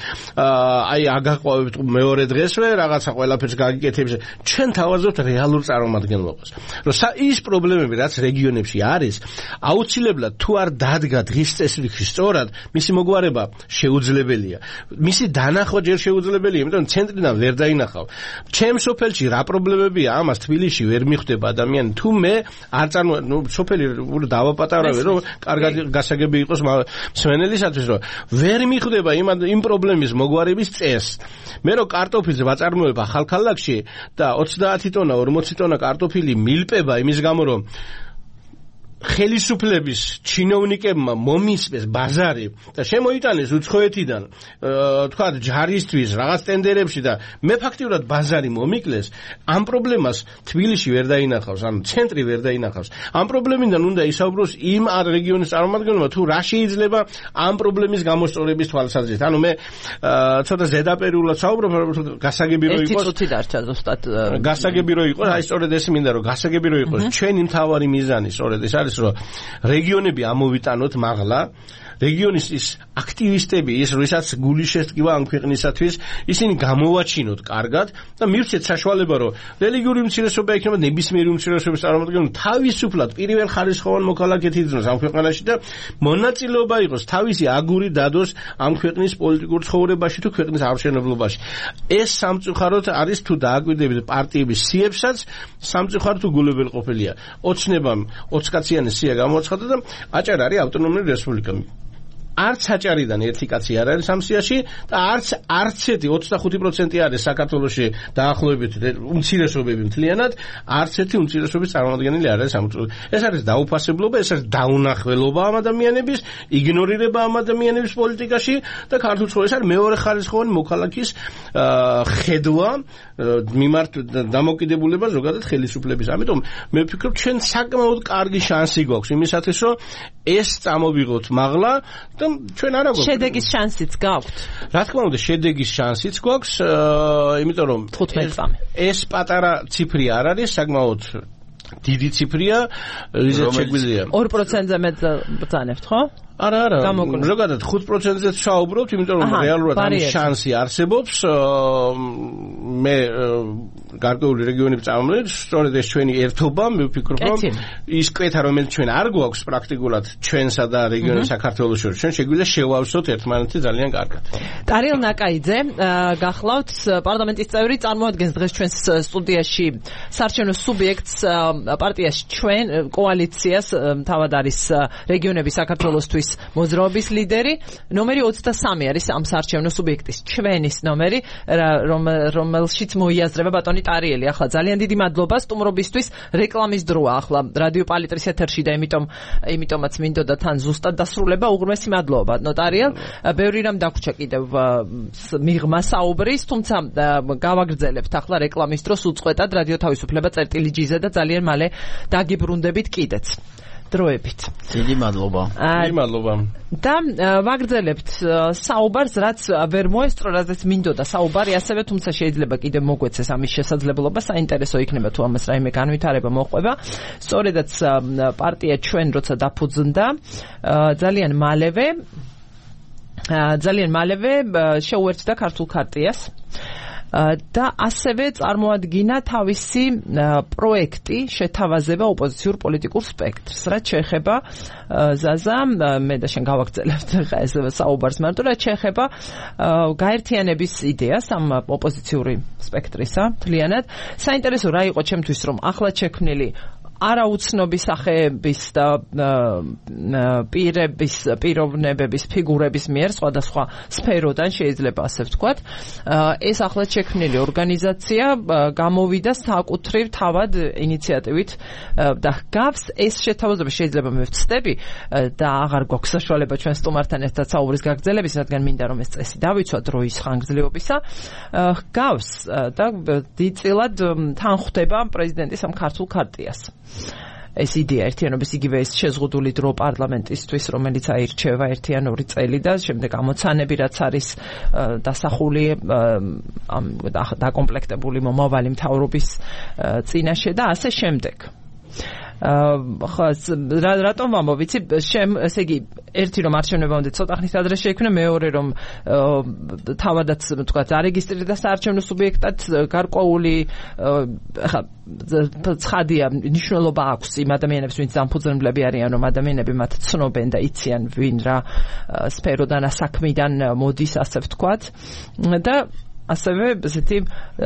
Speaker 3: აი აგაყვავებთ მეორე დღესვე, რაღაცა ყველაფერს გაგიკეთებს. ჩვენ თავაზობთ რეალურ წარმომადგენლობას. რომ ის პრობლემები, რაც რეგიონებში არის, აუცილებლად თუ არ დადგა დღის წესრიგი სწორად, მისი მოგვარება შეუძლებელია. მისი დანახვა ჯერ შეუძლებელია, იმიტომ ცენტრიდან ვერ დაინახავ. ჩემს სოფელში რა პრობლემებია, ამას თბილისში ვერ მიხვდება ადამიანი. თუ მე არ სოფელი დავაპატარავე, რომ კარგად გასაგები იყოს მსმენელისათვის, რომ ვერ მიხვდება იმ პრობლემის მოგვარების წესს. მე რომ კარტოფილს ვაწარმოებ ახალქალაქში და 30 ტონა, 40 ტონა კარტოფილი მილპება იმის გამო, რომ ხელისუფლების ჩინოვნიკებმა მომისმეს ბაზარი და შემოიტანეს უცხოეთიდან, თქვა ჯარისთვის, რაღაც ტენდერებში და მე ფაქტიურად ბაზარი მომიკლეს, ამ პრობლემას თბილისში ვერ დაინახავს, ანუ ცენტრი ვერ დაინახავს. ამ პრობლემიდან უნდა ისაუბროს იმ რეგიონის წარმომადგენლებმა, თუ რა შეიძლება ამ პრობლემის გამოსწორების თვალსაზრისით. ანუ მე ცოტა ზედაპირულად საუბრობ, გასაგები რო იყოს.
Speaker 1: ერთი წუთი დარჩა ზუსტად.
Speaker 3: გასაგები რო იყოს, აი სწორედ ეს მინდა რომ გასაგები რო იყოს. ჩვენი მთავარი მიზანი სწორედ ეს არის, რომ რეგიონები ამოვიტანოთ მაღლა, რეგიონის ის აქტივისტები, ის როისაც გული შესტკივა ამ ქვეყნისათვის, ისინი გამოვაჩინოთ კარგად და მივცეთ საშუალება, რომ რელიგიური უმცირესობა იქნება ნებისმიერი უმცირესობის წარმომადგენელი თავისუფლად პირველხარისხოვან მოქალაქედ იძნოს ამ ქვეყანაში და მონაწილეობა იყოს თავისი აგური დადოს ამ ქვეყნის პოლიტიკურ ცხოვრებაში თუ ქვეყნის არჩევნებლობაში. ეს სამწუხაროდ არის თუ დააკვირდებით პარტიების სიებსაც, სამწუხაროდ უგულებელყოფილია. ოცნებამ 20 კაციანი სია გამოაცხადა და აჭარა არის ავტონომიური რესპუბლიკა. არც აჭარიდან ერთი კაცი არ არის ამ სიაში და არც ერთი 25% არის საქართველოში დაახლოებით უმცირესობები მთლიანად, არც ერთი უმცირესობის წარმომადგენელი არ არის ამ. ეს არის დაუფასებლობა, ეს არის დაუნახველობა ამ ადამიანების, იგნორირება ამ ადამიანების პოლიტიკაში და ქართულ ცხოვრებაში არის მეორე ხარისხოვანი მოქალაქის ხედვა მიმართ დამოკიდებულება ზოგადად ხელისუფლების. ამიტომ მე ვფიქრობ, ჩვენ საკმაოდ კარგი შანსი გვაქვს იმისათვის, რომ ეს წამოვიღოთ მაღლა და ჩვენ არა გვაქვს.
Speaker 1: შედეგის შანსიც გაქვთ.
Speaker 3: რა თქმა უნდა, შედეგის შანსიც გვაქვს, იმიტომ რომ
Speaker 1: 15 წამი.
Speaker 3: ეს პატარა ციფრი არ არის, საკმაოდ დიდი ციფრია, რიზეც შეგვიძლია.
Speaker 1: 2%-ზე მეტ ბრძანებთ, ხო?
Speaker 3: არა, ზოგადად 5%-ზე ვსაუბრობთ, იმიტომ რომ რეალურად ამის შანსი არსებობს. მე გარკვეული რეგიონების წარმომადგენელი, სწორედ ეს ჩვენი ერთობა, მე ვფიქრობ, რომ ის კვეთა, რომელიც ჩვენ არ გვაქვს პრაქტიკულად ჩვენსა და რეგიონის საქართველოს შორის, ჩვენ შეგვიძლია შევავსოთ ერთმანეთი ძალიან კარგად.
Speaker 1: ტარიელ ნაკაიძე, გახლავთ პარლამენტის წევრი, წარმოადგენს დღეს ჩვენს სტუდიაში საარჩევნო სუბიექტს პარტიას ჩვენ კოალიციას, თავად არის რეგიონების საქართველოსთვის მოძრაობის ლიდერი, ნომერი 23 არის ამ საარჩევნო სუბიექტის ჩვენის ნომერი, რომელშიც მოიაზრება ბატონი ტარიელი. ახლა ძალიან დიდი მადლობა სტუმრობისთვის, რეკლამის დროა ახლა რადიო პალიტრის ეთერში და იმიტომაც მინდოდა თან ზუსტად დასრულება. უღრმესი მადლობა ბატონო ტარიელ. ბევრი რამ დაგვრჩა კიდევ მიღმა საუბრის, თუმცა გავაგრძელებთ ახლა რეკლამის დროს უწყვეტად რადიო თავისუფლება წერტილი-G-ზე და ძალიან მალე დაგიბრუნდებით კიდეც. დროებით.
Speaker 2: დიდი მადლობა.
Speaker 3: დიდი მადლობა.
Speaker 1: და ვაგრძელებთ საუბარს, რაც ვერ მოესწრო, რაზეც მინდოდა საუბარი, ასევე თუმცა შეიძლება კიდევ მოგვეცეს ამის შესაძლებლობა, საინტერესო იქნება თუ ამას რაიმე განვითარება მოყვება. სწორედაც პარტია ჩვენ როცა დაფუძნდა, ძალიან მალევე შეუერთდა ქართულ ქარტიას. და ასევე წარმოადგინა თავისი პროექტი შეთავაზება ოპოზიციურ პოლიტიკურ სპექტრს. რაც შეეხება ზაზა, მე და შენ გავაგრძელებთ ხა ეს საუბარს მარტო, რაც შეეხება გაერთიანების იდეას ამ ოპოზიციური სპექტრისა, მთლიანად. საინტერესო რა იყო ჩემთვის, რომ ახლად შექმნილი არაუცნობი სახეების და პიროვნებების, ფიგურების მიერ სხვადასხვა სფეროდან შეიძლება ასე ვთქვათ, ეს ახლად შექმნილი ორგანიზაცია გამოვიდა საკუთრივ თავად ინიციატივით და გავს ეს შეთავაზება, შეიძლება მე ვცდები და აღარ გვაქვს საშუალება ჩვენ სტუმართან ერთად საუბრის გაგრძელების, რადგან მინდა რომ ეს წესი დავიცვა დროის ხანგრძლივობისა, გავს და დიდწილად თან ხვდება პრეზიდენტის ამ ქართულ ქარტიას. ეს იდეა ერთიანობის იგივე ეს შეზღუდული დრო პარლამენტისთვის, რომელიც აირჩევა ერთიანური წელი და შემდეგ ამოცანები, რაც არის დასახული დაკომპლექტებული მომავალი მთავრობის წინაშე და ასე შემდეგ. ხო, რატომ ვამბობ, ესე იგი, ერთი რომ არჩევნებამდე ცოტა ხნის ადრე შეიქმნა, მეორე რომ თავადაც თქვა არეგისტრირდა საარჩევნო სუბიექტად, გარკვეული ხა ცხადია ნიშნულობა აქვს იმ ადამიანებს, ვინც დამფუძნებლები არიან, რომ ადამიანები მათ ცნობენ და იციან ვინ რა სფეროდან, საქმიდან მოდის, ასე ვთქვათ და ასევე ესეთი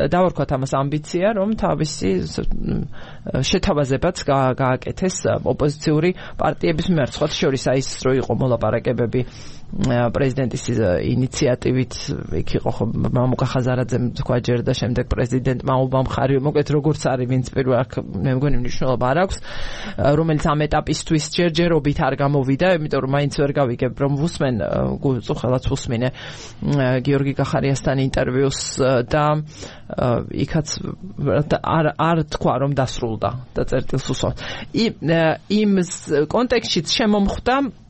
Speaker 1: დავარქვათ ამას ამბიცია, რომ თავისი შეთავაზებაც გააკეთეს ოპოზიციური პარტიების მიმართ. სხვა შორის ის რო იყო მოლაპარაკებები პრეზიდენტის ინიციატივით, იქ იყო ხო მამუკა ხაზარაძემ თქვა ჯერ და შემდეგ პრეზიდენტმა უბამხარი, მოკლედ როგორც არის, ვინც პირველ აქ მე მგონი მნიშვნელობა არ აქვს, რომელიც ამ ეტაპისთვის ჯერჯერობით არ გამოვიდა, იმიტომ რომ მაინც ვერ გავიგებ რომ ვუსმენ, უწუხელად ვუსმინე გიორგი კახარიასთან ინტერვიუს და იქაც არ თქვა რომ დასრულდა და წერტილს უსვამს. იმ კონტექსტშიც შემომხვდა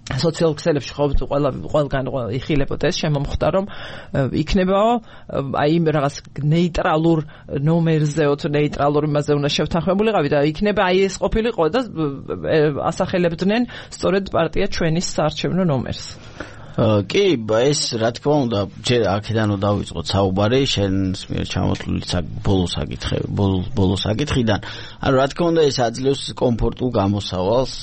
Speaker 1: სოციალურ ქსელებში ყველგან იხილებოდა ეს, შემომხვდა რომ იქნება აი იმ რაღაც ნეიტრალურ ნომერზეო თუ ნეიტრალურ იმაზე უნდა შევთანხმებულიყავი და იქნება აი ეს ყოფილიყო და ასახელებდნენ სწორედ პარტია ჩვენის საარჩევნო ნომერს.
Speaker 2: კი, ეს რა თქმა უნდა, ჯერ აქედანო დავიწყოთ საუბარი, შენს მიერ ჩამოთვლილი ბოლო საკითხიდან. ანუ რა თქმა უნდა, ეს აძლევს კომფორტულ გამოსავალს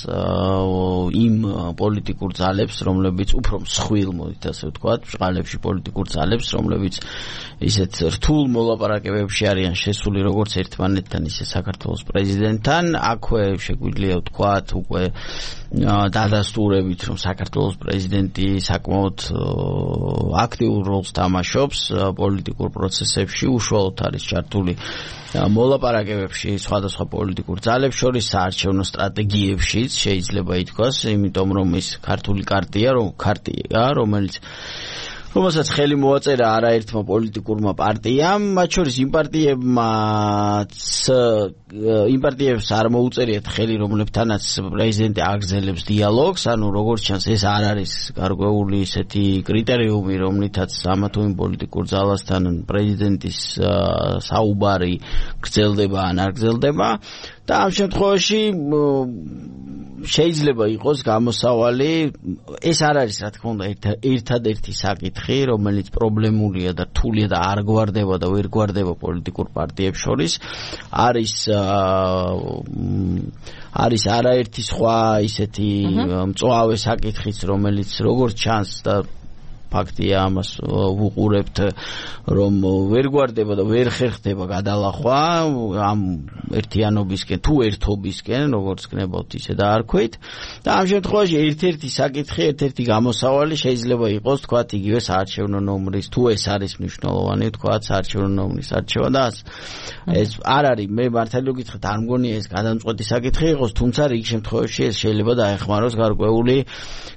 Speaker 2: იმ პოლიტიკურ ძალებს, რომლებიც უფრო მსხვილ, მოდით ასე ვთქვათ, ბრალებში პოლიტიკურ ძალებს, რომლებიც ისეთ რთულ მოლაპარაკებებში არიან შესული როგორც ერთმანეთთან, ისე საქართველოს პრეზიდენტთან. აქვე შეგვიძლია ვთქვათ უკვე დადასტურებით, რომ საქართველოს პრეზიდენტი საკმაოდ აქტიურ როლს თამაშობს პოლიტიკურ პროცესებში, უშუალოდ არის ჩართული მოლაპარაკებებში სხვადასხვა პოლიტიკურ ძალებს შორის საარჩევნო სტრატეგიებშიც შეიძლება ითქვას, იმიტომ რომ ის ქართული კარტია, რომელსაც ხელი მოაწერა არაერთმა პოლიტიკურმა პარტიამ, მათ შორის იმ პარტიებს არ მოუწერიათ ხელი, რომლებთანაც პრეზიდენტი აგრძელებს დიალოგს, ანუ როგორც ჩანს, ეს არ არის გარკვეული ისეთი კრიტერიუმი, რომლითაც ამა თუ იმ პოლიტიკურ ძალასთან პრეზიდენტის საუბარი გრძელდება ან არ გრძელდება. და ამ შემთხვევაში შეიძლება იყოს გამოსავალი, ეს არ არის რა თქმა უნდა ერთადერთი საკითხი, რომელიც პრობლემულია და რთულია და არ გვარდება და ვერ გვარდება პოლიტიკურ პარტიებს შორის, არის არაერთი სხვა ისეთი მწვავე საკითხიც, რომელიც როგორც ჩანს და ფაქტია ამას ვუყურებთ, რომ ვერ გვარდება და ვერ ხერხდება გადალახვა ამ ერთიანობისკენ თუ ერთობისკენ, როგორც გნებავთ ისე დაარქვით. და ამ შემთხვევაში ერთ-ერთი საკითხი, ერთ-ერთი გამოსავალი შეიძლება იყოს, თქვათ, იგივე საარჩევნო ნომრის, თუ ეს არის მნიშვნელოვანი, თქვათ, საარჩევნო ნომრის არჩევა და ეს არ არის, მე მართალი გითხრათ, არ მგონია ეს გადამწყვეტი საკითხი იყოს, თუმცა რიგ შემთხვევაში ეს შეიძლება დაეხმაროს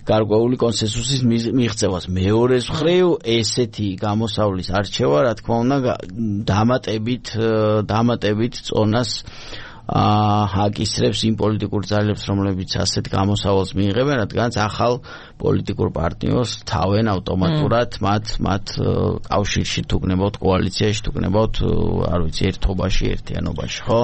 Speaker 2: გარკვეული კონსენსუსის მიღწევას. მეორეს მხრივ ესეთი გამოსავლის არჩევა, რა თქმა უნდა, დამატებით წონას აკისრებს იმ პოლიტიკურ ძალებს, რომლებიც ასეთ გამოსავალს მიიღებენ, რადგანაც ახალ პოლიტიკურ პარტნიორს თავენ ავტომატურად მათ კავშირში თუ გნებავთ, კოალიციაში თუ გნებავთ, არ ვიცი, ერთობაში, ერთიანობაში, ხო?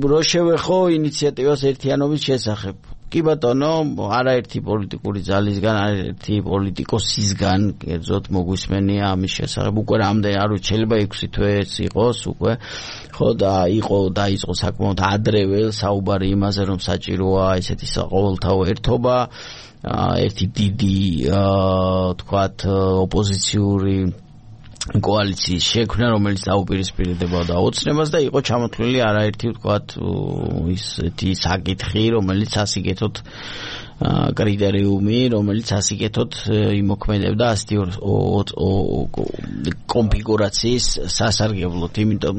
Speaker 2: რო შევეხო ინიციატივას ერთიანობის შესახებ. კი ბატონო, არაერთი პოლიტიკური ძალისგან, არაერთი პოლიტიკოსისგან, კერძოდ მოგვისმენია ამის შესახებ, უკვე რამდენი, არ ვიცი, შეიძლება 6 თვეც იყოს უკვე, ხო, და დაიწყო საკმაოდ ადრევე საუბარი იმაზე, რომ საჭიროა ესეთი საყოველთაო ერთობა, ერთი დიდი, თქვათ, ოპოზიციური კოალიციის შექმნა, რომელიც დაუპირისპირდება ოცნებას და იყო ჩამოთვლილი არაერთი, ვთქვათ, ისეთი საკითხი, რომელიც ასიკეთოთ კრიტერიუმი, რომელიც ასიკეთოთ იმოქმედებდა ასეთი კონფიგურაციის სასარგებლოდ. იმიტომ,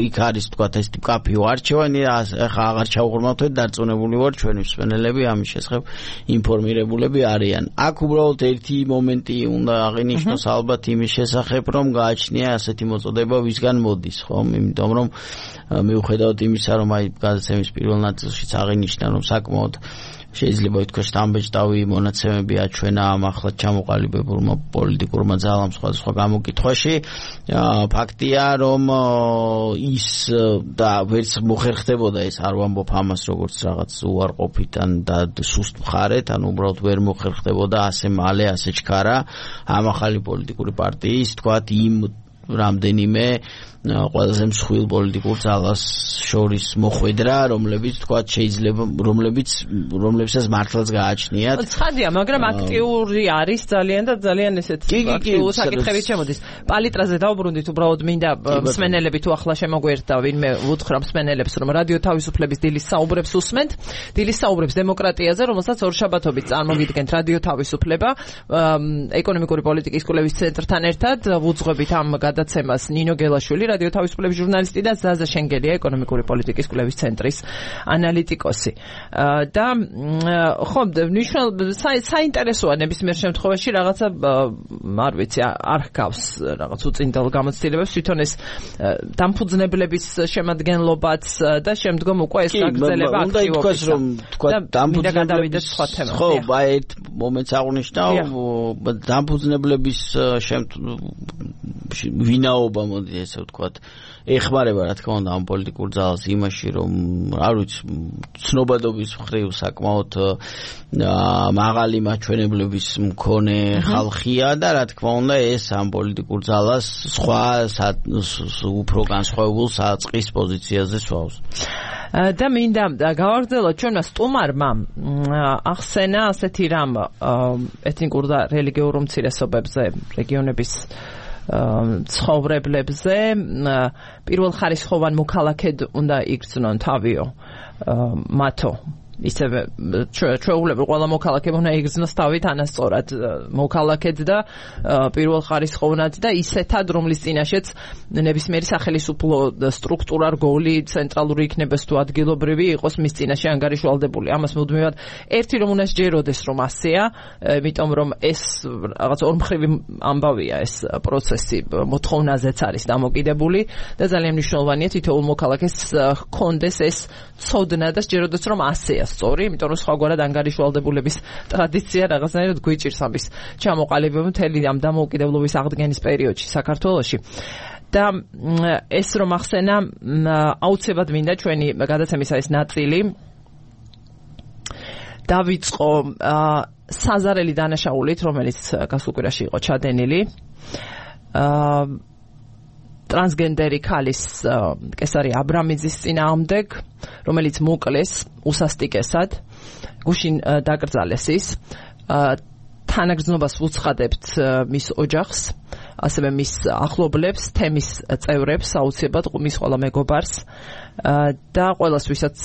Speaker 2: იქ არის, ვთქვათ, ეს კაფეო არჩევანი, ახლა აღარ ჩავღრმავთ, დარწმუნებული ვარ, ჩვენი მსმენელები ამის შესახებ ინფორმირებულები არიან. აქ უბრალოდ ერთი მომენტი უნდა აღინიშნოს ალბათ იმის შესახებ, რომ გააჩნია ასეთი მოწოდება ვისგან მოდის, ხო? იმიტომ რომ მიუხედავად იმისა, რომ აი გადაცემის პირველ ნაწილშიც აღინიშნა, რომ საკმაოდ შეიძლება ითქვას სტამბეჭდავი მონაცემები აჩვენა ამ ახლად ჩამოყალიბებულმა პოლიტიკურმა ძალამ სხვადასხვა გამოკითხვაში. ფაქტია, რომ ის და ვერც მოხერხდებოდა ეს, არ ვამბობ ამას როგორც რაღაც უარყოფიდან და სუსტ მხარეთ, ანუ უბრალოდ ვერ მოხერხდებოდა ასე მალე, ასე ჩქარა ამ ახალი პოლიტიკური პარტიის, თქვათ, იმ რამდენიმე ყველაზე მსხვილ პოლიტიკურ ძალას შორის მოხვედრა, რომლებიც თქვათ შეიძლება რომლებსაც მართლაც გააჩნიათ.
Speaker 1: ცხადია, მაგრამ აქტიური არის ძალიან და ძალიან ესეთ აქტიურ საკითხებით შემოდის. პალიტრაზე დავბრუნდით, უბრალოდ მინდა მსმენელები თუ ახლა შემოგვერთა, ვინმე უთხრა მსმენელებს, რომ რადიო თავისუფლების დილის საუბრებს უსმენთ. დილის საუბრებს დემოკრატიაზე, რომელსაც ორშაბათობით წარმოგიდგენთ რადიო თავისუფლება, ეკონომიკური პოლიტიკის კვლევის ცენტრთან ერთად. ვუძღვებით ამ გადაცემას ნინო გელაშვილი, რადიო თავისუფლების ჟურნალისტი და ზაზა შენგელია, ეკონომიკური პოლიტიკის კვლევის ცენტრის ანალიტიკოსი. და ხო, საინტერესოა ნებისმიერ შემთხვევაში რაღაცა, არ ვიცი, არ ჰგავს რაღაც უწინდელ გამოცდილებებს, თვითონ ეს დამფუძნებლების შემადგენლობაც და შემდგომ უკვე ეს გაგრძელება აქტივობის.
Speaker 2: თქვა
Speaker 1: დამფუძნებლების სხვა თემა.
Speaker 2: ხო, ერთ მომენტს აღნიშნავ, დამფუძნებლების ვინაობა მოდი ესე ვთქვათ ეხმარება რა თქმა უნდა ამ პოლიტიკურ ძალას იმაში რომ არ ვიცი ცნობადობის მხრივ საკმაოდ მაღალი მაჩვენებლების მქონე ხალხია და რა თქმა უნდა ეს ამ პოლიტიკურ ძალას სხვა უფრო განსხვავებულ საწყის პოზიციაზე სვავს
Speaker 1: და მინდა გავაგრძელოთ ჩვენმა სტუმარმა ახსენა ასეთი რამ ეთნიკურ და რელიგიურ უმცირესობებზე რეგიონების ცხოვრებლებზე პირველ ხარისხოვან მოქალაქედ უნდა იგრძნონ თავიო მათო ისევე ჩვეულებრივ ყველა მოქალაქე უნდა იგრძნოს თავი თანასწორად მოქალაქედ და პირველ ხარისხოვნად და ისეთად რომლის წინაშეც ნებისმიერი სახელმწიფო სტრუქტურა რგოლი ცენტრალური იქნებას თუ ადგილობრივი იყოს მის წინაშე ანგარიშვალდებული ამას მუდმივად ერთი რომ უნდა სჯეროდეს რომ ასეა იმიტომ რომ ეს რაღაც ორმხრივი ამბავია ეს პროცესი მოთხოვნაზეც არის დამოკიდებული და ძალიან მნიშვნელოვანია თითოეულ მოქალაქეს ჰქონდეს ეს ცოდნა და სჯეროდეს რომ ასეა სწორი, იმიტომ რომ სხვაგვარად ანგარიშვალდებულების ტრადიცია რაღაცნაირად გვიჭირს ამის ჩამოყალიბება მთელი ამ დამოუკიდებლობის აღდგენის პერიოდში საქართველოში. და ეს რომ ახსენა აუცილებლად მინდა ჩვენი გადაცემისა ეს ნაწილი დავიწყო საზარელი დანაშაულით, რომელიც გასულ კვირაში იყო ჩადენილი. ტრანსგენდერი ქალის კესარი აბრამიძის წინააღმდეგ, რომელიც მოკლეს უსასტიკესად, გუშინ დაკრძალეს ის. თანაგრძნობას ვუცხადებთ მის ოჯახს, ასევე მის ახლობლებს, თემის წევრებს, აუცილებლად მის ყველა მეგობარს და ყველას, ვისაც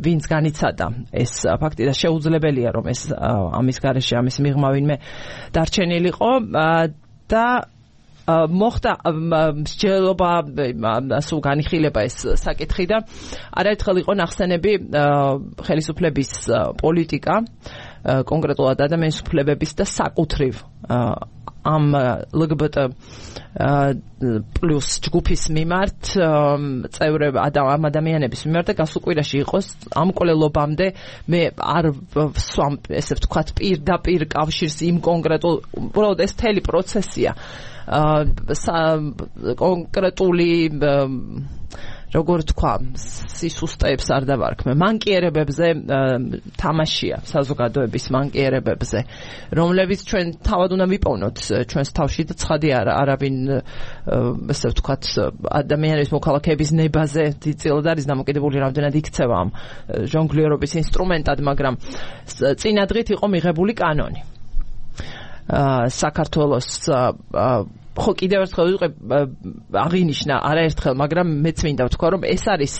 Speaker 1: ვინც განიცადა ეს ფაქტი და შეუძლებელია რომ ეს ამის გარეშე ამის მიღმა ვინმე დარჩენილიყო და მოხდა მსჯელობა სულ განიხილება ეს საკითხი და არაერთხელ იყო ნახსენები ხელისუფლების პოლიტიკა კონკრეტულად ადამიანის უფლებების და საკუთრივ ამ LGBT პლუს ჯგუფის მიმართ წევრები ამ ადამიანების მიმართ და გასულ კვირაში იყოს ამ კვლელობამდე მე არ ვსვამ ესე ვთქვათ პირდაპირ კავშირს იმ კონკრეტულ უბრალოდ ეს მთელი პროცესია კონკრეტული როგორ თქვა სისუსტეებს არ დავარქმე მანკიერებებზე თამაშია საზოგადოების მანკიერებებზე რომლებიც ჩვენ თავად უნდა ვიპოვნოთ ჩვენს თავში და ცხადი არავინ ესე ვთქვათ ადამიანის მოქალაქეების ნებაზე დიდწილად არის დამოკიდებული რამდენად იქცევა ამ ჟონგლიერობის ინსტრუმენტად მაგრამ წინადღით იყო მიღებული კანონი საქართველოს ხო კიდევ ერთხელ ვიყო აღინიშნა არაერთხელ მაგრამ მეც მინდა ვთქვა რომ ეს არის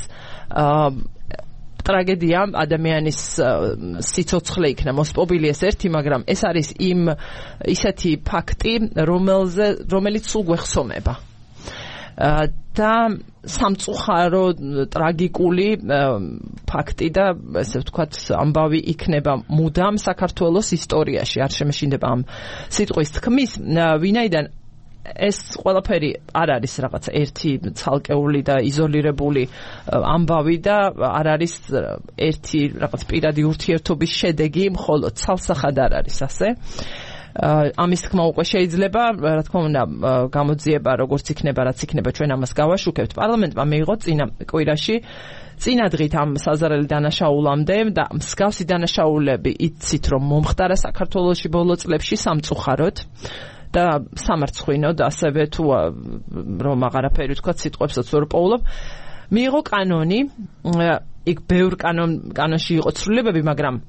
Speaker 1: ტრაგედია ადამიანის სიცოცხლე იქნა მოსპობილი ეს ერთი მაგრამ ეს არის ისეთი ფაქტი რომელიც სულ გვეხსომება და სამწუხარო ტრაგიკული ფაქტი და ესე ვთქვათ ამბავი იქნება მუდამ საქართველოს ისტორიაში არ შემეშინდება ამ სიტყვის თქმის ვინაიდან ეს ყველაფერი არ არის რაღაცა ერთი ცალკეული და იზოლირებული ამბავი და არ არის ერთი რაღაც პირადი ურთიერთობის შედეგი, მხოლოდ ცალსახად არ არის ასე. ამის თქმა უკვე შეიძლება, რა თქმა უნდა, გამოძიება როგორც იქნება, რაც იქნება, ჩვენ ამას გავაშუქებთ. პარლამენტმა მიიღო წინა კვირაში წინადღით ამ საზარელი დანაშაულამდე და მსგავსი დანაშაულები იცით რომ მომხდარა საქართველოში ბოლო წლებში სამწუხაროდ და სამარცხვინოდ ასევე თუ რომ აღარაფერი თქვა სიტყვებსაც ვერ პოულობ მიიღო კანონი იქ ბევრ კანონში იყო ცვლილებები მაგრამ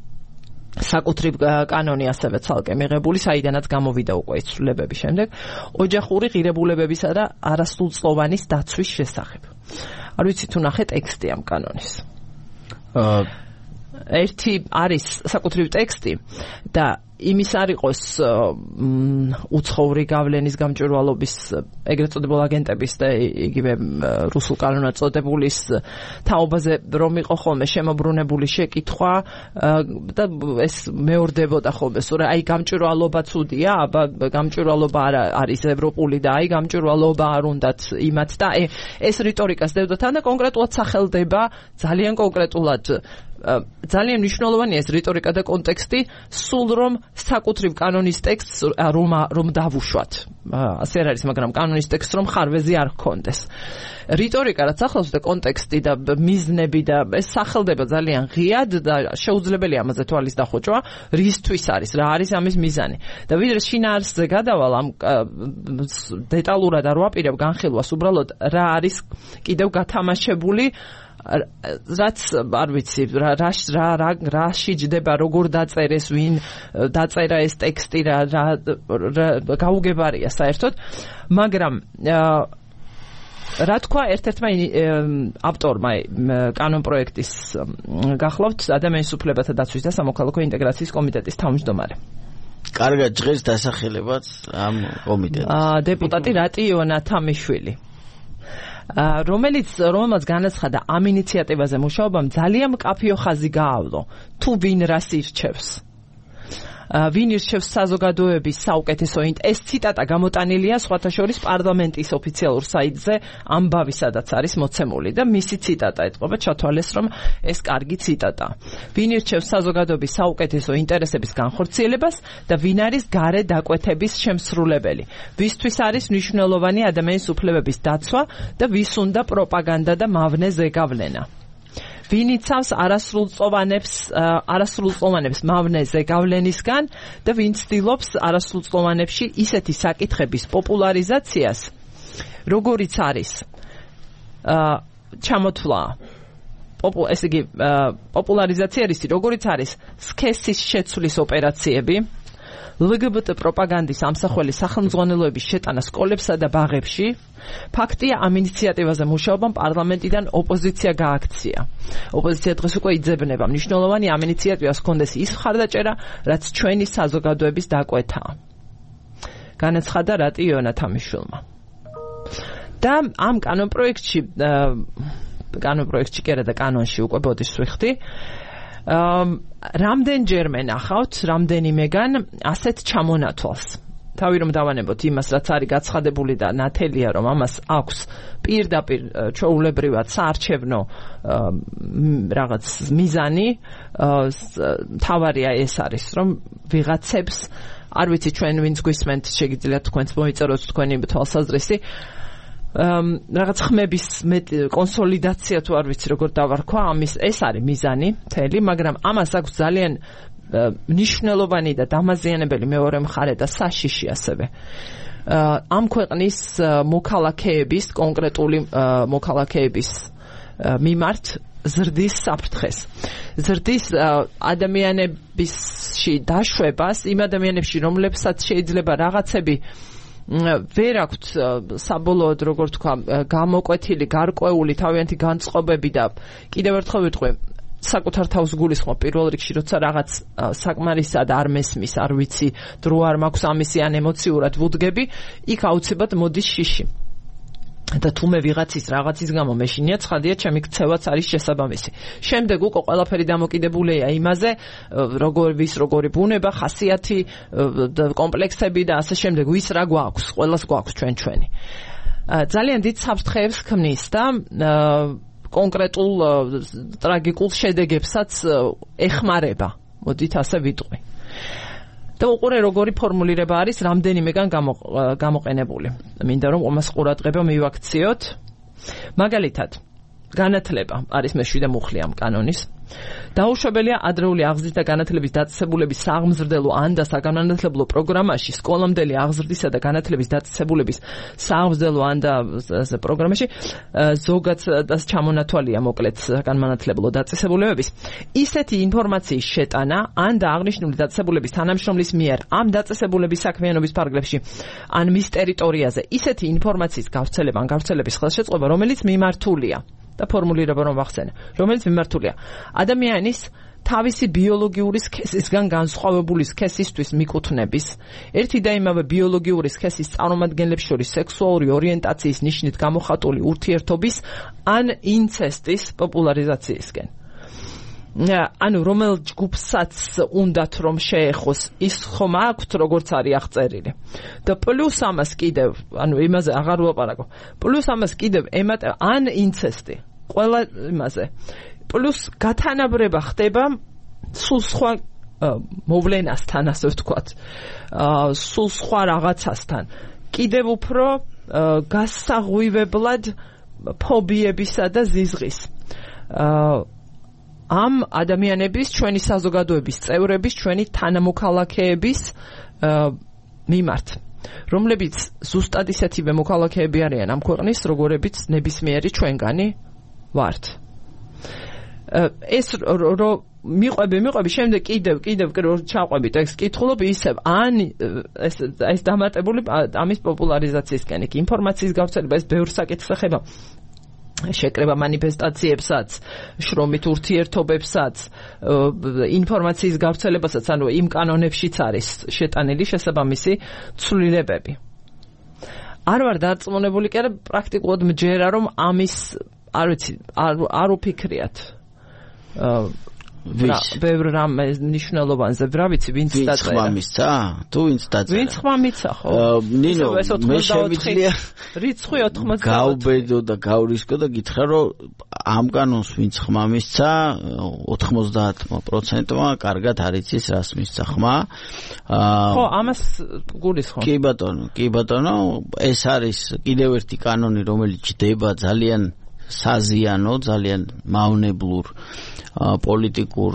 Speaker 1: საკუთრივ კანონი ასევე ცალკე მიღებული საიდანაც გამოვიდა უკვე ეს ცვლილებები შემდეგ ოჯახური ღირებულებებისა და არასრულწლოვანის დაცვის შესახებ არ ვიცი თუ ნახე ტექსტი ამ კანონის ერთი არის საკუთრივ ტექსტი და იმის არ იყოს უცხოური გავლენის გამჭვირვალობის ეგრეთ წოდებულ აგენტების და იგივე რუსულ კანონად წოდებულის თაობაზე რომ იყო ხოლმე შემოbrunებული შეკითხვა და ეს მეორდებოდა ხოლმე სულ აი გამჭვირვალობა ცუდია აბა გამჭვირვალობა არის ევროპული და აი გამჭვირვალობა არ უნდათ იმათ და ეს რიტორიკას დევდოთ და კონკრეტულად სახელდება ძალიან კონკრეტულად ძალიან მნიშვნელოვანია ეს რიტორიკა და კონტექსტი, სულ რომ საკუთრივ კანონის ტექსტს რომ დავუშვათ. ასე არ არის, მაგრამ კანონის ტექსტს რომ ხარვეზი არ ჰქონდეს. რიტორიკა რაც ახლავს და კონტექსტი და მიზნები და ეს სახელდება ძალიან ღიად და შეუძლებელია ამაზე თვალის დახვეჭვა, რისთვის არის, რა არის ამის მიზანი. და ვიდრე შინაარსზე გადავალ ამ დეტალურად არ ვაპირებ განხილვას, უბრალოდ რა არის კიდევ გათამაშებული, რაც არ ვიცი რა შეჯდება, როგორ დაწერეს, ვინ დაწერა ეს ტექსტი, რა გაუგებარია საერთოდ, მაგრამ რა თქვა ერთ-ერთმა ავტორმა კანონ პროექტის გახლავთ ადამიანის უფლებათა დაცვის და სამოქალაქო ინტეგრაციის კომიტეტის თავმჯდომარე.
Speaker 2: კარგად ჟღერს დასახელებაც ამ კომიტეტს.
Speaker 1: დეპუტატი რატი იონათამიშვილი. რომელმაც განაცხადა ამ ინიციატივაზე მუშაობამ ძალიან მკაფიო ხაზი გაავლო თუ ვინ რას ირჩევს. ვინ ირჩევს საზოგადოების საუკეთესო ეს ციტატა გამოტანილია სხვათა შორის პარლამენტის ოფიციალურ საიტზე ამბავი სადაც არის მოცემული და მისი ციტატა ეთყობა ჩათვალეს რომ ეს კარგი ციტატა. ვინ ირჩევს საზოგადოების საუკეთესო ინტერესების განხორციელებას და ვინ არის გარე დაკვეთების შემსრულებელი. ვისთვის არის მნიშვნელოვანი ადამიანის უფლებების დაცვა და ვის უნდა პროპაგანდა და მავნე ზეგავლენა. ვინ იცავს არასრულწლოვანებს მავნე ზეგავლენისგან და ვინ ცდილობს არასრულწლოვანებში ისეთი საკითხების პოპულარიზაციას, როგორიც არის ჩამოთვლა ესე იგი პოპულარიზაცია არის, როგორიც არის სქესის შეცვლის ოპერაციები, LGBT პროპაგანდის ამსახველი სახელმძღვანელოების შეტანა სკოლებსა და ბაღებში. ფაქტია, ამ ინიციატივაზე მუშაობამ პარლამენტიდან ოპოზიცია გააქცია. ოპოზიცია დღეს უკვე იძებნება, მნიშვნელოვანი ამ ინიციატივას ჰქონდეს ის მხარდაჭერა, რაც ჩვენი საზოგადოების დაკვეთაა. განაცხადა რატი იონათამიშვილმა. და ამ კანონპროექტში კი არა და კანონში უკვე ბოდის ვიხდი. რამდენჯერმე ნახავთ, რამდენიმეგან ასეთ ჩამონათვალს. თავი რომ დავანებოთ იმას, რაც არის გაცხადებული და ნათელია, რომ ამას აქვს პირდაპირ ჩვეულებრივად საარჩევნო რაღაც მიზანი, თავარია ეს არის, რომ ვიღაცებს, არ ვიცი ჩვენ ვინც გვისმენთ, შეგიძლიათ თქვენც მოიწეროთ თქვენი თვალსაზრისი, რაღაც ხმების კონსოლიდაცია თუ არ ვიცი როგორ დავარქვა, ეს არის მიზანი მთელი, მაგრამ ამას აქვს ძალიან მნიშვნელოვანი და დამაზიანებელი მეორე მხარე და საშიში ასევე. ამ ქვეყნის მოქალაქეების, კონკრეტული მოქალაქეების მიმართ ზრდის საფრთხეს. ზრდის ადამიანებისში დაშვებას, იმ ადამიანებში, რომლებსაც შეიძლება რაღაცები ვერ აქვთ საბოლოოდ როგორ თქვა გამოკვეთილი, გარკვეული თავიანთი განწყობები და კიდევ ერთხელ ვიტყვი საკუთარ თავს გულისხმობ პირველ რიგში, როცა რაღაც საკმარისად არ მესმის, არ ვიცი, დრო არ მაქვს ამისი ან ემოციურად ვუდგები, იქ აუცილებლად მოდის შიში. და თუმე ვიღაცის რაღაცის გამო მეშინია ცხადია, ჩემი ქცევაც არის შესაბამისი. შემდეგ უკვე ყველაფერი დამოკიდებულია იმაზე, როგორი ბუნება, ხასიათი, კომპლექსები და ასე შემდეგ, ვის რა გვაქვს, ყველას გვაქვს ჩვენი. ძალიან დიდ საფრთხეებს ქმნის და კონკრეტულ ტრაგიკულ შედეგებსაც ეხმარება. მოდით ასე ვიტყვი. და უყურე როგორი ფორმულირება არის რამდენიმეგან გამოყენებული. მინდა რომ ამას ყურადღება მივაქციოთ. მაგალითად, განათლება არის მე-7 მუხლი ამ კანონის. დაუშვებელია ადრეული აღზრდის და განათლების დაწესებულების სააღმზრდელო ან და საგანმანათლებლო პროგრამაში, სკოლამდელი აღზრდისა და განათლების დაწესებულების სააღმზრდელო ან და პროგრამაში ზოგადად ჩამონათვალია მოკლედ საგანმანათლებლო დაწესებულებების ისეთი ინფორმაციის შეტანა ან და აღნიშნული დაწესებულების თანამშრომლის მიერ ამ დაწესებულების საქმიანობის ფარგლებში ან მის ტერიტორიაზე ისეთი ინფორმაციის გავრცელების ხელშეწყობა, რომელიც მიმართულია და ფორმულირება რომ ვახსენე, რომელიც მიმართულია ადამიანის თავისი ბიოლოგიური სქესისგან განსხვავებული სქესისთვის მიკუთვნების, ერთი და იმავე ბიოლოგიური სქესის წარმომადგენლებს შორის სექსუალური ორიენტაციის ნიშნით გამოხატული ურთიერთობის ან ინცესტის პოპულარიზაციისკენ. ანუ რომელ ჯგუფსაც უნდათ რომ შეეხოს, ის ხომ აქვთ როგორც არის აღწერილი. და პლუს ამას კიდევ, ანუ იმაზე აღარ ვლაპარაკო. პლუს ამას კიდევ ან ინცესტი. ყველა იმაზე პლუს გათანაბრება ხდება სულ სხვა მოვლენასთან, ასე ვთქვათ. სულ სხვა რაღაცასთან. კიდევ უფრო გასაღვივებლად ფობიებისა და ზიზღის. ამ ადამიანების, ჩვენი საზოგადოების წევრების, ჩვენი თანამოქალაქეების მიმართ, რომლებიც ზუსტად ისეთივე მოქალაქეები არიან ამ ქვეყნის, როგორებიც ნებისმიერი ჩვენგანი ვართ. ეს მიყვები, შემდეგ კიდევ ჩაყვებით ეს კითხულობ ისევ ან ეს დამატებული ამის პოპულარიზაციისკენ, ინფორმაციის გავრცელება, ეს ბევრ საკითხს ეხება. შეკრება მანიფესტაციებსაც, შრომით ურთიერთობებსაც, ინფორმაციის გავრცელებასაც, ანუ იმ კანონებშიც არის შეტანილი შესაბამისი ცვლილებები. არ ვარ დარწმუნებული, კი არა, პრაქტიკულად მჯერა, რომ ამის, არ ვიცი, არ უფიქრიათ. ბევრ რამე ნიშნულობანზე, რა ვიცი, ვინც დაწერა.
Speaker 2: ვინც ხმამისცა? თუ ვინც დაწერა?
Speaker 1: ვინც ხმამიცა, ხო?
Speaker 2: ნინო, მე შემიძლია
Speaker 1: რიცხვი 80.
Speaker 2: გავბედო და გავრისკო და გითხრა, რომ ამ კანონს ვინც ხმამისცა, 90%-მა კარგად არ იცის, რას მისცა ხმა.
Speaker 1: ხო, ამას გულისხმობ.
Speaker 2: კი ბატონო, ეს არის კიდევ ერთი კანონი, რომელიც ჯდება ძალიან საზიანო, ძალიან მავნებლურ პოლიტიკურ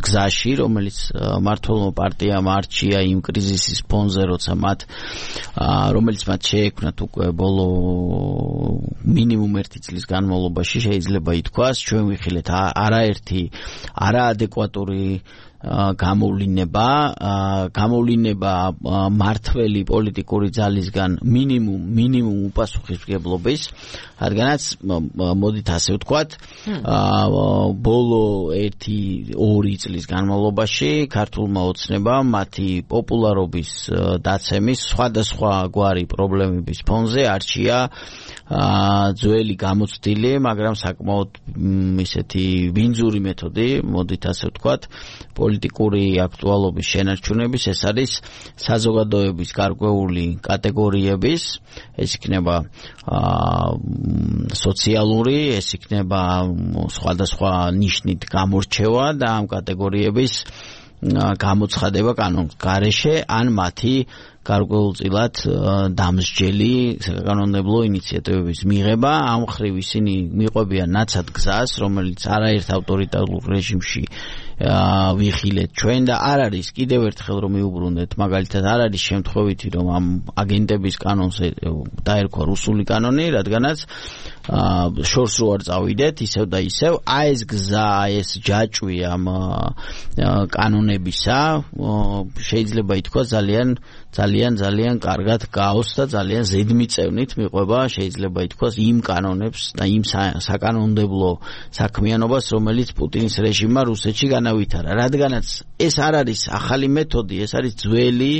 Speaker 2: გზაში, რომელიც მართლმო პარტიამ არჩია იმ კრიზისის ფონზე, როცა რომელიც მათ შეექმნათ უკვე ბოლო მინიმუმ 1 წლის განმავლობაში, შეიძლება ითქვას, ჩვენ ვიხილეთ არაერთი არაადეკვატური გამოვლინება მართველი პოლიტიკური ძალისგან მინიმუმ უპასუხისმგებლობის, რადგანაც მოდით ასე ვთქვათ, ბოლო 1-2 წლის განმავლობაში ქართულმა ოცნებამ მათი პოპულარობის დაცემის სხვადასხვა გვარი პრობლემების ფონზე არჩია ძველი გამოცდილი, მაგრამ საკმაოდ ისეთი ვინძური მეთოდი, მოდით ასე ვთქვათ, პოლიტიკური აქტუალობის შენარჩუნების, ეს არის საზოგადოების გარკვეული კატეგორიების, ეს იქნება სოციალური, ეს იქნება სხვადასხვა ნიშნით გამორჩევა და ამ კატეგორიების გამოცხადება კანონის გარეშე ან მათი გარკვეულწილად დამსჯელი საკანონმდებლო ინიციატივების მიღება. ამ მხრივ ისინი მიყვებიან ნაცად გზას, რომელიც არაერთ ავტორიტარულ რეჟიმში ვიხილეთ ჩვენ და არ არის, კიდევ ერთხელ რომ მიუბრუნდეთ, მაგალითად არ არის შემთხვევითი, რომ ამ აგენტების კანონს დაერქვა რუსული კანონი, რადგანაც შორს რო არ წავიდეთ, ისევ და ისევ, ეს გზა, ეს ჯაჭვი ამ კანონებისა შეიძლება ითქვას ძალიან კარგად გაოს და ძალიან ზედმიწევნით მიყვება, შეიძლება ითქვას, იმ კანონებს და იმ საკანონმდებლო საქმიანობას, რომელიც პუტინის რეჟიმმა რუსეთში განავითარა. რადგანაც ეს არ არის ახალი მეთოდი, ეს არის ძველი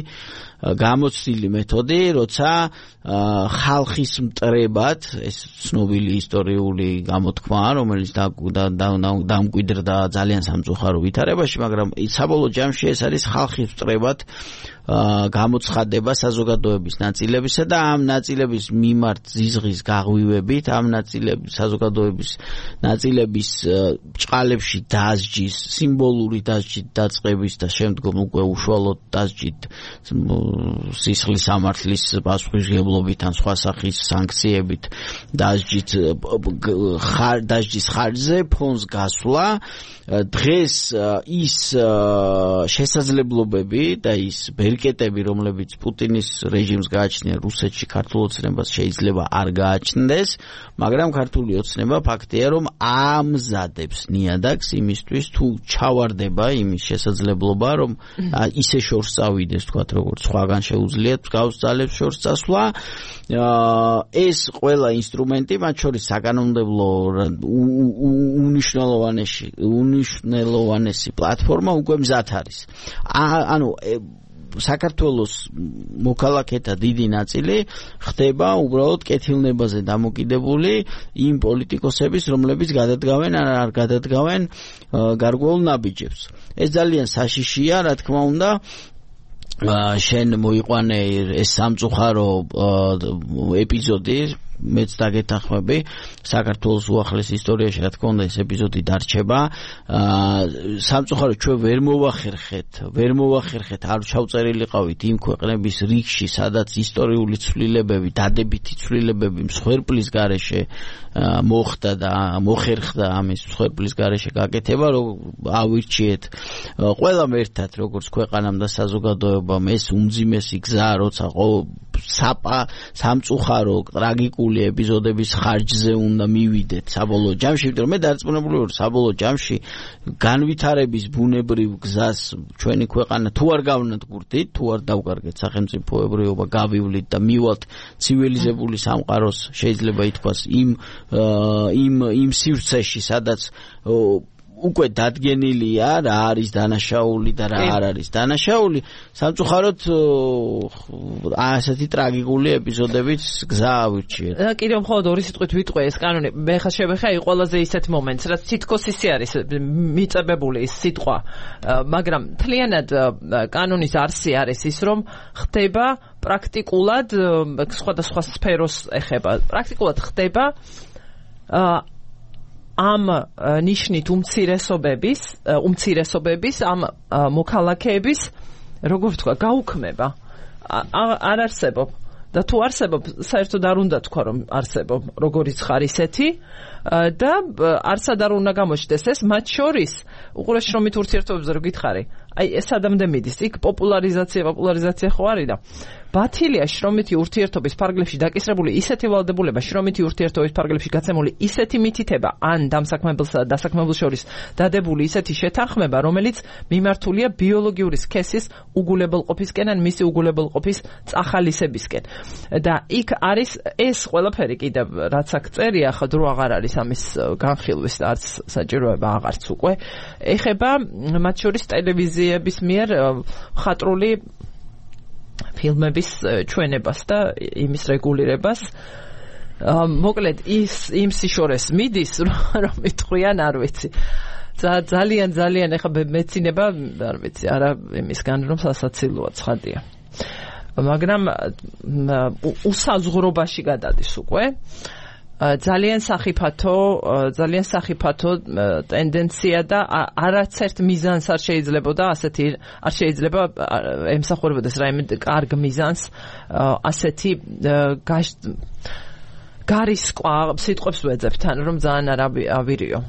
Speaker 2: გამოცდილი მეთოდი, როცა ხალხის მტრებად, ეს ცნობილი ისტორიული გამოთქმაა, რომელიც დამკვიდრდა ძალიან სამწუხარო ვითარებაში, მაგრამ საბოლოო ჯამში ეს არის ხალხის მტრებად გამოცხადება საზოგადოების ნაწილებისა და ამ ნაწილების მიმართ ზიზღის გაღვივებით, ამ საზოგადოების ნაწილების ჭყალებში დასჯის, სიმბოლური დასჯით დაწყების და შემდგომ უკვე უშუალოდ დასჯით სისხლის სამართლის პასუხისმგებლობით ან სხვა სახის სანქციებით დასჯის ხარჯზე ფონს გასვლა. დღეს ის შესაძლებლობები და ის ბერკეტები, რომლებიც პუტინის რეჟიმს გააჩნია რუსეთში ქართულ ოცნებას, შეიძლება არ გააჩნდეს, მაგრამ ქართული ოცნება ფაქტია, რომ ამზადებს ნიადაგს იმისთვის, თუ ჩავარდება იმის შესაძლებლობა, რომ ისე შორს წავიდეს, თქვათ, როგორც სხვაგან შეუძლიათ მსგავს ძალებს შორს წასვლა. ეს ყველა ინსტრუმენტი, მათ შორის საკანონმდებლო უნიშნელოვანესი პლატფორმა უკვე მზად არის. ანუ საქართველოს მოქალაქეთა დიდი ნაწილი ხდება უბრალოდ კეთილნებაზე დამოკიდებული იმ პოლიტიკოსების, რომლებიც გადადგავენ ან არ გადადგავენ გარკვეულ ნაბიჯებს. ეს ძალიან საშიშია, რა თქმა უნდა. შენ მოიყვანე ეს სამწუხარო ეპიზოდი, მეც დაგეთანხმები საქართველოს უახლეს ისტორიაში რა თქმა უნდა ეს ეპიზოდი დარჩება სამწუხაროდ ჩვენ ვერ მოვახერხეთ არ ჩავწერილიყავით იმ ქვეყნების რიგში სადაც ისტორიული ცვლილებები დადებითი ცვლილებები მსხვერპლის გარეშე მოხდა და მოხერხდა ამის მსხვერპლის გარეშე გაკეთება რომ ავირჩიეთ ყველამ ერთად როგორც ქვეყანამ და საზოგადოებამ ეს უმძიმესი გზა როცა სამწუხარო ტრაგიკული ეპიზოდების ხარჯზე უნდა მივიდეთ საბოლოო ჯამში იმიტომ რომ მე დარწმუნებული ვარ საბოლოო ჯამში განვითარების ბუნებრივ გზას ჩვენი ქვეყანა თუ არ გავნადგურდით თუ არ დავკარგეთ სახელმწიფოებრიობა გავივლით და მივალთ ცივილიზებული სამყაროს შეიძლება ითქვას იმ სივრცეში სადაც უკვე დადგენილია რა არის დანაშაული და რა არ არის დანაშაული სამწუხაროდ ასეთი ტრაგიკული ეპიზოდებით გზა ავირჩიეთ
Speaker 1: და კიდევ მხოლოდ ორი სიტყვით ვიტყვე ეს კანონი მე ხა ყველაზე ისეთ მომენტს რაც თითქოს ისე არის მიწებებული ის სიტყვა მაგრამ მთლიანად კანონის არსი არის ის რომ ხდება პრაქტიკულად სხვადასხვა სფეროს ეხება პრაქტიკულად ხდება ამ ნიშნით უმცირესობების ამ მოქალაქეების როგორ ვთქვა გაუქმება არ არსებობ და თუ არსებობ საერთოდ არ უნდა თქვა რომ არსებობ როგორიც ხარ ისეთი და არსად არ უნდა გამოჩნდეს ეს მათ შორის უყურეს შრომით ურთიერთობებზე რო გითხარი აი ეს ადამდე მიდის იქ პოპულარიზაცია ხო არის და ბათილია შრომითი ურთიერთობის ფარგლებში დაკისრებული ისეთი ვალდებულება შრომითი ურთიერთობის ფარგლებში გაცემული ისეთი მითითება ან დამსაქმებელსა და დასაქმებელ შორის დადებული ისეთი შეთანხმება რომელიც მიმართულია ბიოლოგიური სქესის უგულებელყოფისკენ ან მისი უგულებელყოფის წახალისებისკენ და იქ არის ეს ყველაფერი კიდევ რაც აქ წერია ხო დრო აღარ არის ამის განხილვის და არც საჭიროება აღარც უკვე ეხება მათ შორის ტელევიზიების მიერ ხატრული ფილმების ჩვენებას და იმის რეგულირებას მოკლედ იმ სიშორეს მიდის რომ იტყვიან არ ვიცი ძალიან ეხა მეცინება არ ვიცი არა იმისგან რომ სასაცილოა ცხადია მაგრამ უსაზღვრობაში გადადის უკვე ძალიან სახიფათო ტენდენცია და არაცერთ მიზანს არ შეიძლება ემსახურებოდეს რაიმე კარგ მიზანს ასეთი გარისკვა სიტყვებს ვეძებთ ან რომ ძალიან არ ავირიო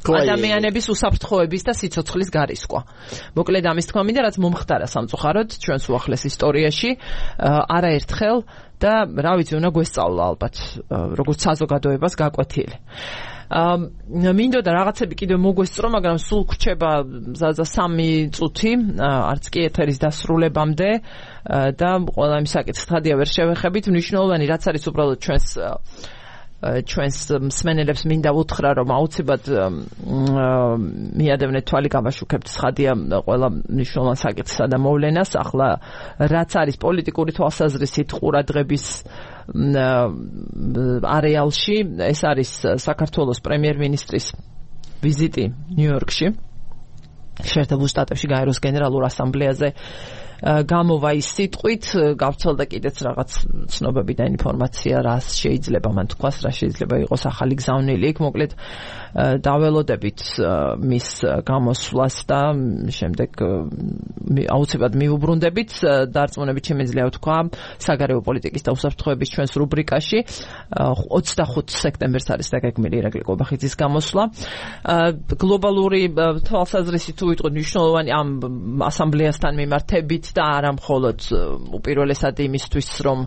Speaker 1: ადამიანების უსაფრთხოების და სიცოცხლის გარისკვა. მოკლედ ამის თქმა მინდა რაც მომხდარა სამწუხაროდ ჩვენს უახლეს ისტორიაში არაერთხელ და რა ვიცი უნდა გვესწავლა ალბათ როგორც საზოგადოებას გაკვეთილი. მინდოდა რაღაცები კიდევ მოგვესწრო, მაგრამ სულ გრჩება 3 წუთი, არც კი ეთერის დასრულებამდე და ყველა იმ საკითხს ხადია ვერ შევეხებით. მნიშვნელოვანი რაც არის უბრალოდ ჩვენს მსმენელებს მინდა უთხრა რომ აუცილებლად მიადევნეთ თვალი გამაშუქებთ ხადია ყველა მნიშვნელოვან საკითხსა და მოვლენას ახლა რაც არის პოლიტიკური თვალსაზრისით ყურადღების არეალში ეს არის საქართველოს პრემიერ-მინისტრის ვიზიტი ნიუ-იორკში შეერთებულ შტატებში გაეროს გენერალურ ასამბლეაზე გამოვა ის სიტყვით გავცელდა კიდეც რაღაც ცნობები და ინფორმაცია რა შეიძლება მან თქვას რა შეიძლება იყოს ახალი გზავნილი იქ მოკლედ დაველოდებით მის გამოსვლას და შემდეგ აუცილებლად მიუბრუნდებით დარწმუნებით შემიძლია ვთქვა საგარეო პოლიტიკის და უსაფრთხოების ჩვენს რუბრიკაში 25 სექტემბერს არის დაგეგმილი ირაკლი კობახიძის გამოსვლა გლობალური თვალსაზრისით თუ ვიტყვით მნიშვნელოვანი ამ ასამბლეასთან მიმართებით და არა მხოლოდ უპირველესად იმისთვის რომ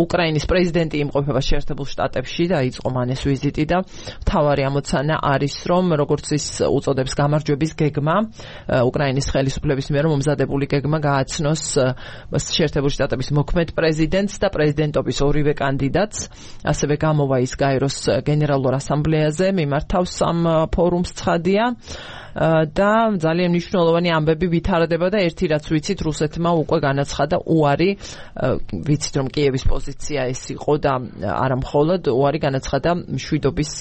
Speaker 1: უკრაინის პრეზიდენტი იმყოფება შეერთებულ შტატებში და იწყო მან ეს ვიზიტი და მთავარი ამოცანა არის რომ როგორც ის უწოდებს გამარჯვების გეგმა უკრაინის ხელისუფლების მიერ მომზადებული გეგმა გააცნოს შეერთებულ შტატების მოქმედ პრეზიდენტს და პრეზიდენტობის ორივე კანდიდატს ასევე გამოვა ის გაეროს გენერალურ ასამბლეაზე მიმართავს ამ ფორუმს ცხადია და ძალიან მნიშვნელოვანი ამბები ვითარდება და ერთი რაც ვიცით რუსეთმა უკვე განაცხადა უარი ვიცით რომ კიევის პოზიცია ეს იყო და არა მხოლოდ უარი განაცხადა მშვიდობის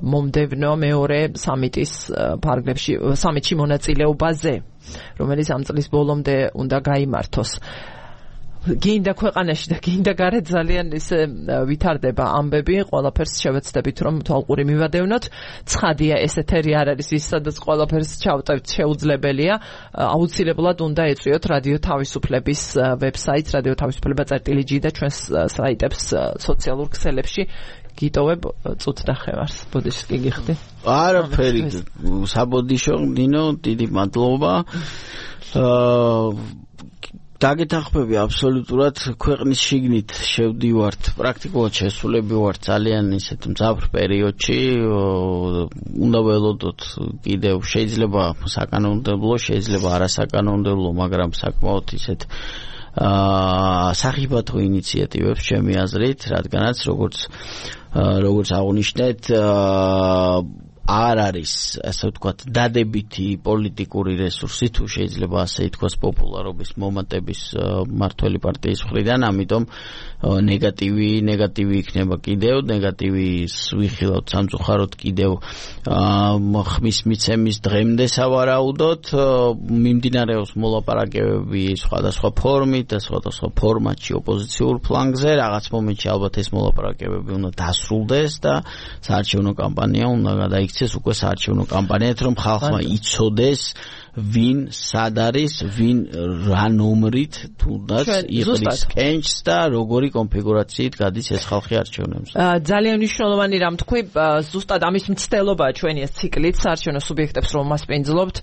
Speaker 1: მომდევნო მეორე სამიტის ფარგლებში სამიტში მონაწილეობაზე რომელიც ამ წლის ბოლომდე უნდა გაიმართოს გინდა ქვეყანაში და გინდა გარეთ ძალიან ისე ვითარდება ამბები, ყველაფერს შევეცდებით რომ თვალყური მივადევნოთ. ცხადია ეს ეთერი არ არის ის, სადაც ყველაფერს ჩავტევთ, შეუძლებელია. აუცილებლად უნდა ეწვიოთ რადიო თავისუფლების ვებსაიტს, რადიო თავისუფლება.gi და ჩვენს საიტებს სოციალურ ქსელებში. გიტოვებ წუთ და ხევარს. ბოდიშს კი გიხდი?
Speaker 2: არაფერი. საბოდიშო ნინო, დიდი მადლობა. დაგეთანხმები აბსოლუტურად ქვეყნის შიგნით შევდივართ, პრაქტიკულად შესულები ვართ ძალიან ისეთ მძაფრ პერიოდში. უნდა ველოდოთ კიდევ შეიძლება საკანონმდებლო, შეიძლება არასაკანონმდებლო, მაგრამ საკმაოდ ისეთ სახიფათო ინიციატივებს ჩემი აზრით, რადგანაც როგორც აღნიშნეთ არ არის ასე ვთქვათ დადებითი პოლიტიკური რესურსი თუ შეიძლება ასე ითქვას პოპულარობის მომატების მმართველი პარტიის მხრიდან, ამიტომ ნეგატივი იქნება კიდევ, ნეგატივის ვიხილავთ სამწუხაროდ კიდევ ხმის მიცემის დღემდე სავარაუდოდ, მიმდინარეობს მოლაპარაკებები სხვადასხვა ფორმით და სხვადასხვა ფორმატში ოპოზიციურ ფლანგზე, რაღაც მომენტში ალბათ ეს მოლაპარაკებები უნდა დასრულდეს და საარჩევნო კამპანია უნდა გადაიქცეს უკვე საარჩევნო კამპანიად, რომ ხალხმა იცოდეს ვინ სად არის, ვინ რა ნომრით თუნდაც იყრის კენჭს და როგორი კონფიგურაციით გადის ეს ხალხი არჩევნებზე.
Speaker 1: ძალიან მნიშვნელოვანი რამ თქვი, ზუსტად ამის მცდელობაა ჩვენი ეს ციკლით საარჩევნო სუბიექტებს რომ მასპინძლობთ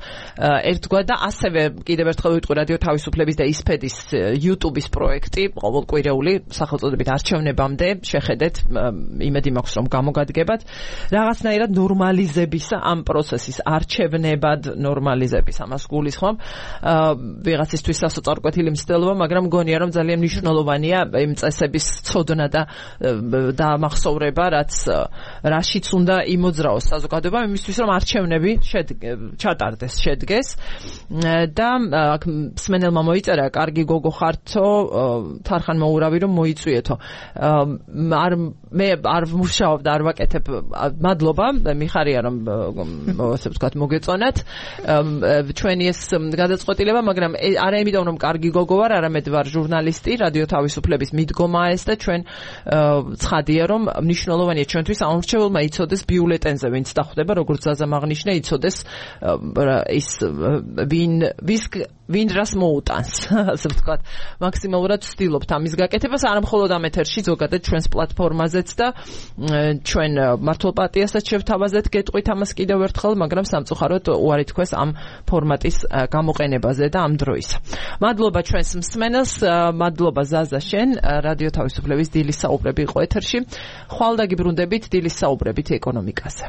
Speaker 1: ერთგვარ და ასევე კიდევ ერთხელ ვიტყვი რადიო თავისუფლების და ისფედის YouTube-ის პროექტი ყოველკვირეული სახელწოდებით არჩევნებამდე შეხედეთ, იმედი მაქვს რომ გამოგადგებათ რაღაცნაირად ნორმალიზებისა ამ პროცესის არჩევნებად ნორმალიზების ამას გულისხმობ. ვიღაცისთვის სასოწარკვეთილი მცდელობა, მაგრამ მგონია რომ ძალიან მნიშვნელოვანია იმ წესების ცოდნა და დამახსოვრება, რაშიც უნდა იმოძრაოს საზოგადოება, იმისთვის რომ არჩევნები ჩატარდეს, შედგეს. და აქ მსმენელმა მოიწერა, კარგი გოგო ხართო, თარხან მოურავი რომ მოიწვიეთო. მე არ ვმუშაობ და არ ვაკეთებ. მადლობა, მიხარია რომ ასე ვთქვათ მოგეწონათ ჩვენი ეს გადაწყვეტილება, მაგრამ არა იმიტომ რომ კარგი გოგო ვარ, არამედ ვარ ჟურნალისტი, რადიო თავისუფლების მიდგომაა ეს და ჩვენ ცხადია რომ მნიშვნელოვანია ჩვენთვის ამორჩეულმა იცოდეს ბიულეტენზე ვინც დახვდება, როგორც ზაზამ აღნიშნა, იცოდეს ის ვინ რას მოუტანს, ასე ვთქვათ. მაქსიმალურად ვცდილობთ ამის გაკეთებას, არა მხოლოდ ამ ეთერში, ზოგადად ჩვენს პლატფორმაზეც და ჩვენ მართლ პარტიასაც შევთავაზეთ გეტყვით ამას კიდევ ერთხელ, მაგრამ სამწუხაროდ უარი თქვეს ამ ფორმატის გამოყენებაზე და ამ დროის. მადლობა ჩვენს მსმენელს, მადლობა ზაზა შენ, რადიო თავისუფლების დილის საუბრები იყო ეთერში. ხვალ დაგიბრუნდებით დილის საუბრებით ეკონომიკაზე.